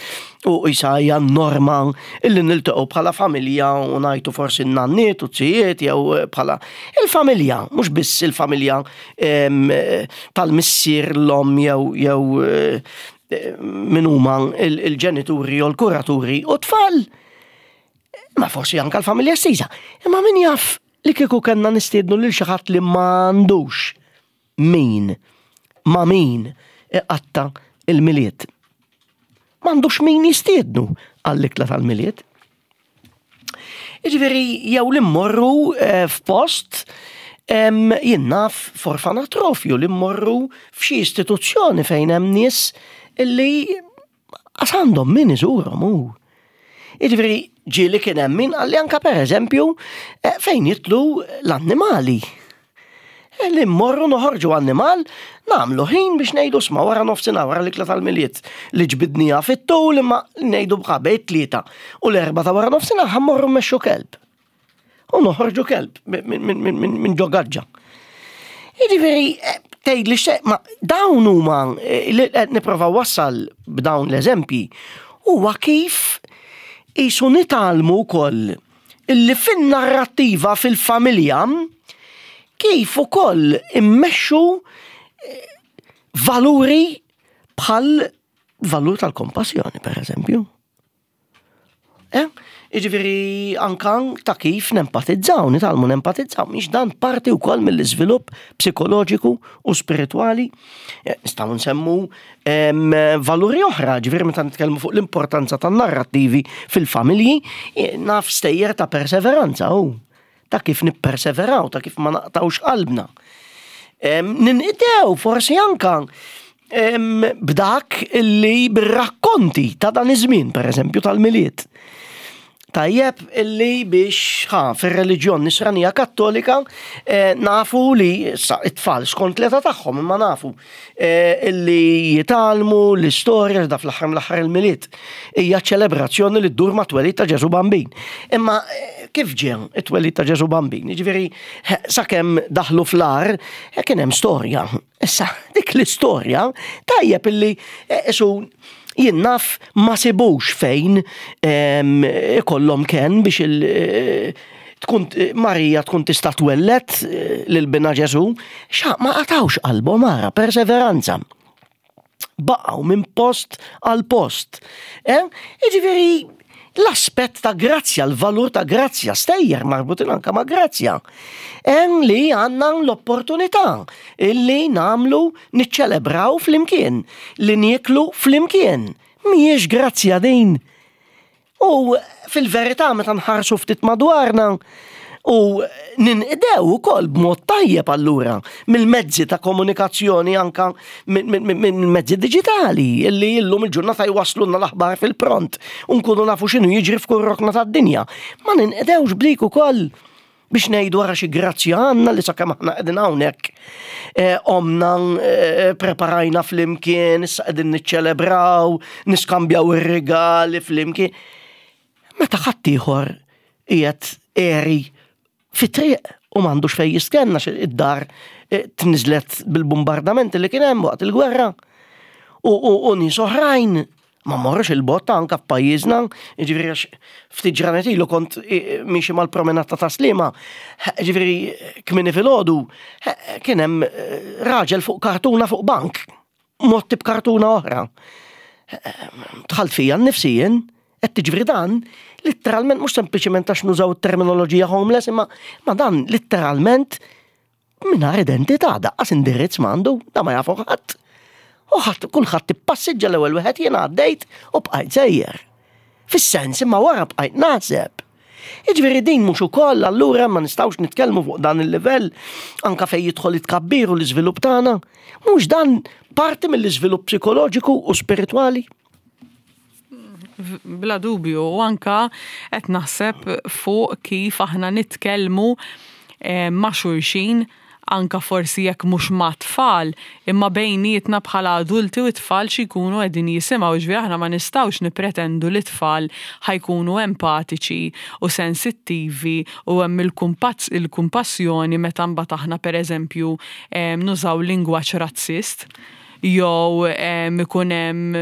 U isa hija norma illi niltaqgħu bħala familja u ngħidu forsi n-nanniet u t-zijiet jew bħala il-familja, mhux biss il-familja tal-missier l-omm jew jew eh, min huma il-ġenituri jew l-kuraturi u tfal. Ma forsi anka l-familja estiża. Imma min jaf li kieku kellna nistiednu lil xi ħadd li m'għandux min ma' min iqatta' il-Milied. M'għandux min jistiednu għall-ikla tal-Milied. Jiġifieri jew li mmorru eh, f'post jien naf f'orfanatrofju li mmorru f'xi istituzzjoni fejn hemm nies li Għax għandhom min iżurhom hu. Jiġifieri ġieli kien hemm min qalli anke pereżempju eh, fejn jitlu l-annimali. Eh, li mmorru noħorġu annimal, nagħmlu ħin biex ngħidu sma wara nofsinhar wara l-ikla tal-Milied li ġbidniha fit-tul imma ngħidu bħabejt tlieta u l-erba ta' wara nofsinhar ħammorru mmexxu kelb. U noħorġu kelb minn ġo gaġġa. Jiġifieri eh, tgħid li xejn, ma dawn huma eh, li qed nipprova wassal b'dawn l-eżempji huwa kif qisu nitgħallmu wkoll illi fin-narrattiva fil-familja kif ukoll immexxu Valuri bħal valur tal-kompassjoni, per eżempju. Eh? Iġifieri anka ta' kif nempatizzaw, nitgħallmu nempatizzaw, mhix dan parti wkoll mill-iżvilupp psikoloġiku u spiritwali. Eh, nistgħu nsemmu valuri oħra, ġifieri meta nitkellmu fuq l-importanza tan-narrattivi fil-familji, eh, naf stejjer ta' perseveranza u ta' kif nipperseveraw, ta' kif ma naqtawx qalbna. Ninqdew forsi anka b'dak illi bir-rakkonti ta' dan iż-żmien, pereżempju tal-Milied. Tajjeb illi biex ħa fir-reliġjon nisranija kattolika eh, nafu li sa it-tfal skont l-età tagħhom imma nafu eh, illi jitgħallmu l-istorja da fl-aħħar mill-aħħar il-Milied hija ċelebrazzjoni li ddur ma' twelid ta' Ġesu Bambin. Imma eh, kif ġie it-twelid ta' Ġesu Bambin? Jiġifieri sakemm daħlu fl-ar kien hemm storja. Issa, dik l-istorja tajjeb illi eh, isu jien naf ma sibux fejn ikollhom ken biex il eh, tkun Marija tkun tista' twellet eh, lil bina Ġesu, xa ma qatawx qalbhom ara perseveranza. Baqgħu minn post għal post. Eh? Jiġifieri l-aspett ta' grazzja, l-valur ta' grazzja, stejjer marbutin anka ma' grazzja. Hemm li għandna l-opportunità illi namlu niċċelebraw flimkien, li nieklu flimkien. Mhijiex grazzja din? U fil-verità meta nħarsu ftit madwarna u ninqdew ukoll b'mod tajjeb allura mill-mezzi ta' komunikazzjoni anka mill-mezzi diġitali illi illum il-ġurnata jwaslulna l-aħbar fil-pront u nkunu nafu x'inhu jiġri f'kull rokna tad-dinja. Ma ninqdewx b'dik ukoll biex ngħidu ara xi grazzja għandna li sakemm aħna qegħdin hawnhekk eh, omna eh, preparajna flimkien, issa qegħdin niċċelebraw, niskambjaw ir-rigali flimkien. Meta ħaddieħor qiegħed eri fit-triq u m'għandux fejn jistenna id-dar eh, tniżlet bil-bombardamenti li kien hemm waqt il-gwerra. U nies oħrajn ma mmorrux il-bogħod ta' anka f'pajjiżna, jiġifieri għax ftit ġranet ilu kont miexi mal-promenata ta' Sliema, jiġifieri kmieni filgħodu kien hemm raġel fuq kartuna fuq bank, mgħotti b'kartuna oħra. Dħalt fija nnifsi jien, qed tiġri dan litteralment mhux sempliċement għax nużaw it-terminoloġija homeless, imma ma dan litteralment Mingħajr identità, daqqas indirizz m'għandu, da ma jafu ħadd. U ħadd kulħadd ippassiġġa l-ewwel wieħed jien għaddejt u bqajt sejjer. Fis-sens imma wara bqajt naħseb. Jiġifieri din mhux ukoll allura ma nistgħux nitkellmu fuq dan il-livell anka fejn jidħol it-tkabbir u l-iżvilupp tagħna. Mhux dan parti mill-iżvilupp psikoloġiku u spiritwali? Bla dubju, u anka qed naħseb fuq kif aħna nitkellmu eh, ma' xulxin anka forsi jekk mhux ma' tfal, imma bejnietna bħala adulti u t-tfal xi jkunu qegħdin jisimgħu, ġifieri aħna ma nistgħux nippretendu li t-tfal ħa jkunu empatiċi u sensittivi u hemm il-kumpassjoni meta mbagħad aħna pereżempju eh, nużaw lingwaġġ razzist. jew ikun hemm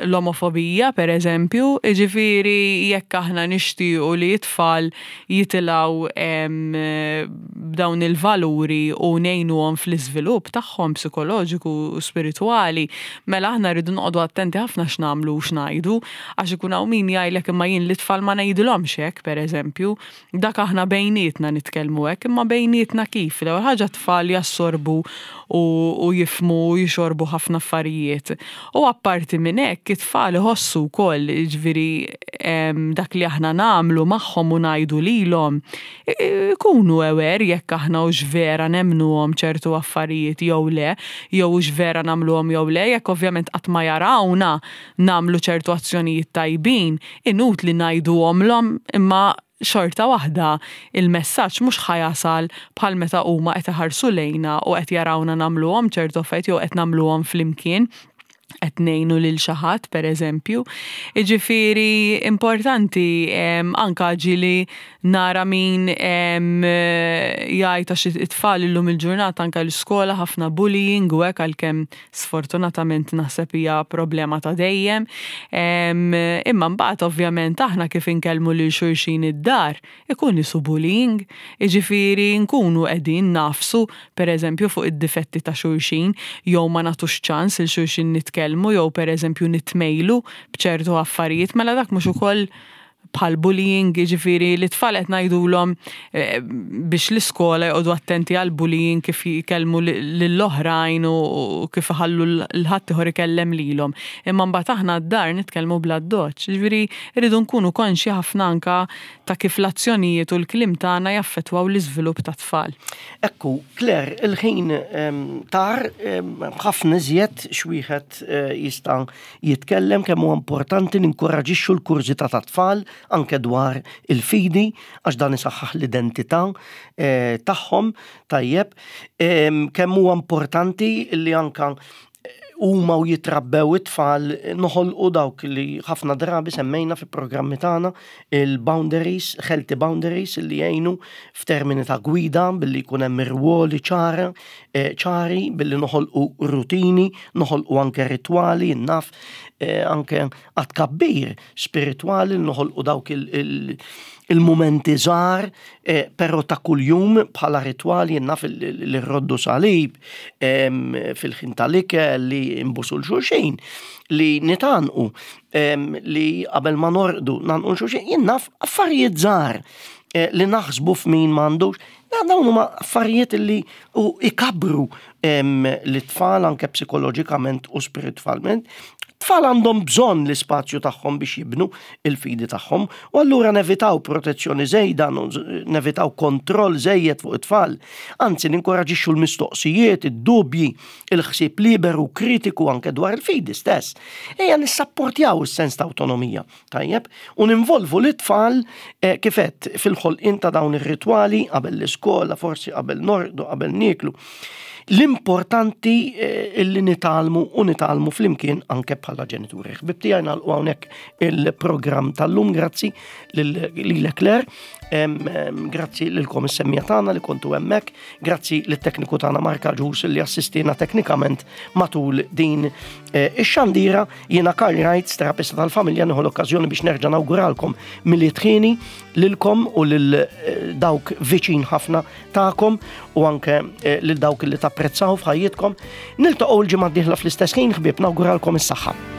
l-omofobija pereżempju, jiġifieri jekk aħna nixtiequ li t-tfal jitilgħu b'dawn il-valuri u ngħinuhom fl-iżvilupp tagħhom psikoloġiku u spiritwali, mela aħna rridu noqogħdu attenti ħafna x'nagħmlu u x'ngħidu, għax ikun hawn min jgħidlek imma jien lit-tfal ma ngħidilhomx hekk pereżempju. Dak aħna bejnietna nitkellmu hekk, imma bejnietna kif? L-ewwel ħaġa t-tfal jassorbu u, u jifhmu u jixorbu ħafna affarijiet. U apparti minn hekk it-tfal iħossu wkoll, jiġifieri dak li aħna nagħmlu magħhom u ngħidu lilhom, ikunu aware jekk aħna hux vera nemmnuhom ċertu affarijiet jew le, jew hux vera nagħmluhom jew le, jekk ovvjament qatt ma jarawna nagħmlu ċertu azzjonijiet tajbin, inutli ngħiduhomlhom imma xorta waħda il-messaġġ mhux ħa jasal bħal meta huma qed iħarsu lejna u qed jarawna nagħmluhom ċertu affarijiet jew qed nagħmluhom flimkien. Qed ngħinu lil xi ħadd pereżempju. Jiġifieri importanti anke ġieli nara min jgħid għax it-tfal illum il-ġurnata anke l-iskola ħafna bullying u hekk għalkemm sfortunatament naħseb hija problema ta' dejjem. Imma mbagħad ovvjament aħna kif inkellmu lil xulxin id-dar ikun isu bullying, jiġifieri nkunu qegħdin nagħfsu pereżempju fuq id-difetti ta' xulxin jew ma nagħtux ċans lil xulxin nitkellmu jew pereżempju nitmejlu b'ċertu affarijiet, mela dak mhux ukoll bħal bullying, jiġifieri li t-tfal qed ngħidulhom eh, biex l-iskola joqogħdu attenti għal bullying kif jkellmu lill-oħrajn u kif iħallu l-ħaddieħor ikellem lilhom. Imma mbagħad aħna d-dar nitkellmu bl-addoċċ. Jiġifieri rridu nkunu konxji ħafna anka ta' kif l-azzjonijiet u l-kliem tagħna jaffettwaw l-iżvilupp tat-tfal. Ekku, Claire, il-ħin tar ħafna iżjed x'wieħed eh, jista' jitkellem kemm huwa importanti ninkoraġixxu l-kurżità tat-tfal anke dwar il-fidi għax dan isaħħaħ l-identità eh, tagħhom tajjeb kemm huwa importanti li anka huma u jitrabbew it-tfal noħolqu dawk li ħafna drabi semmejna fi programmi tagħna il-boundaries, healthy boundaries li jgħinu f'termini ta' gwida billi jkun hemm irwoli ċara, eh, ċari billi noħolqu rutini, noħolqu anke ritwali, naf eh, anke għat-tkabbir spiritwali noħolqu dawk il-mumenti żgħar, eh, però ta' kuljum bħala ritwali naf li rroddu salib fil-ħin tal-ikel li nbusu l-xulxin li nitanqu li qabel ma norqdu nanqu l-xulxin jien naf affarijiet żgħar eh, li naħsbu f'min m'għandux Dawn huma affarijiet li u ikabru l-tfal anke psikoloġikament u spiritwalment. Tfal għandhom bżonn l-ispazju tagħhom biex jibnu il-fidi tagħhom u allura nevitaw protezzjoni żejda, nevitaw kontroll żejjed fuq it-tfal. Anzi ninkoraġixxu l-mistoqsijiet, id-dubji, il-ħsieb liberu kritiku anke dwar il-fidi stess. Ejja nissapportjaw is-sens ta' awtonomija. Tajjeb, u ninvolvu lit-tfal eh, kif għedt fil-ħolqien ta' dawn ir-ritwali qabel l-iskola, forsi qabel norqdu, qabel nieklu. L-importanti eh, illi nitgħallmu u nitgħallmu flimkien anke bħala ġenituri. Ħbib tiegħi nagħlqu hawnhekk il-programm tal-lum, grazzi lil Claire, grazzi lilkom is-semmija tagħna li kontu hemmhekk, grazzi lit-tekniku tagħna Marka Ġus li assistina teknikament matul din eh, ix-xandira. Jiena Karl Reitz, terapista tal-familja, nieħu l-okkażjoni biex nerġa' nawguralkom Milied ħieni lilkom u lil eh, dawk viċin ħafna tagħkom u anke eh, lil dawk li tapprezzaw f'ħajjitkom. Niltaqgħu l-ġimgħa d-dieħla fl-istess ħin ħbieb nawguralkom is-saħħa.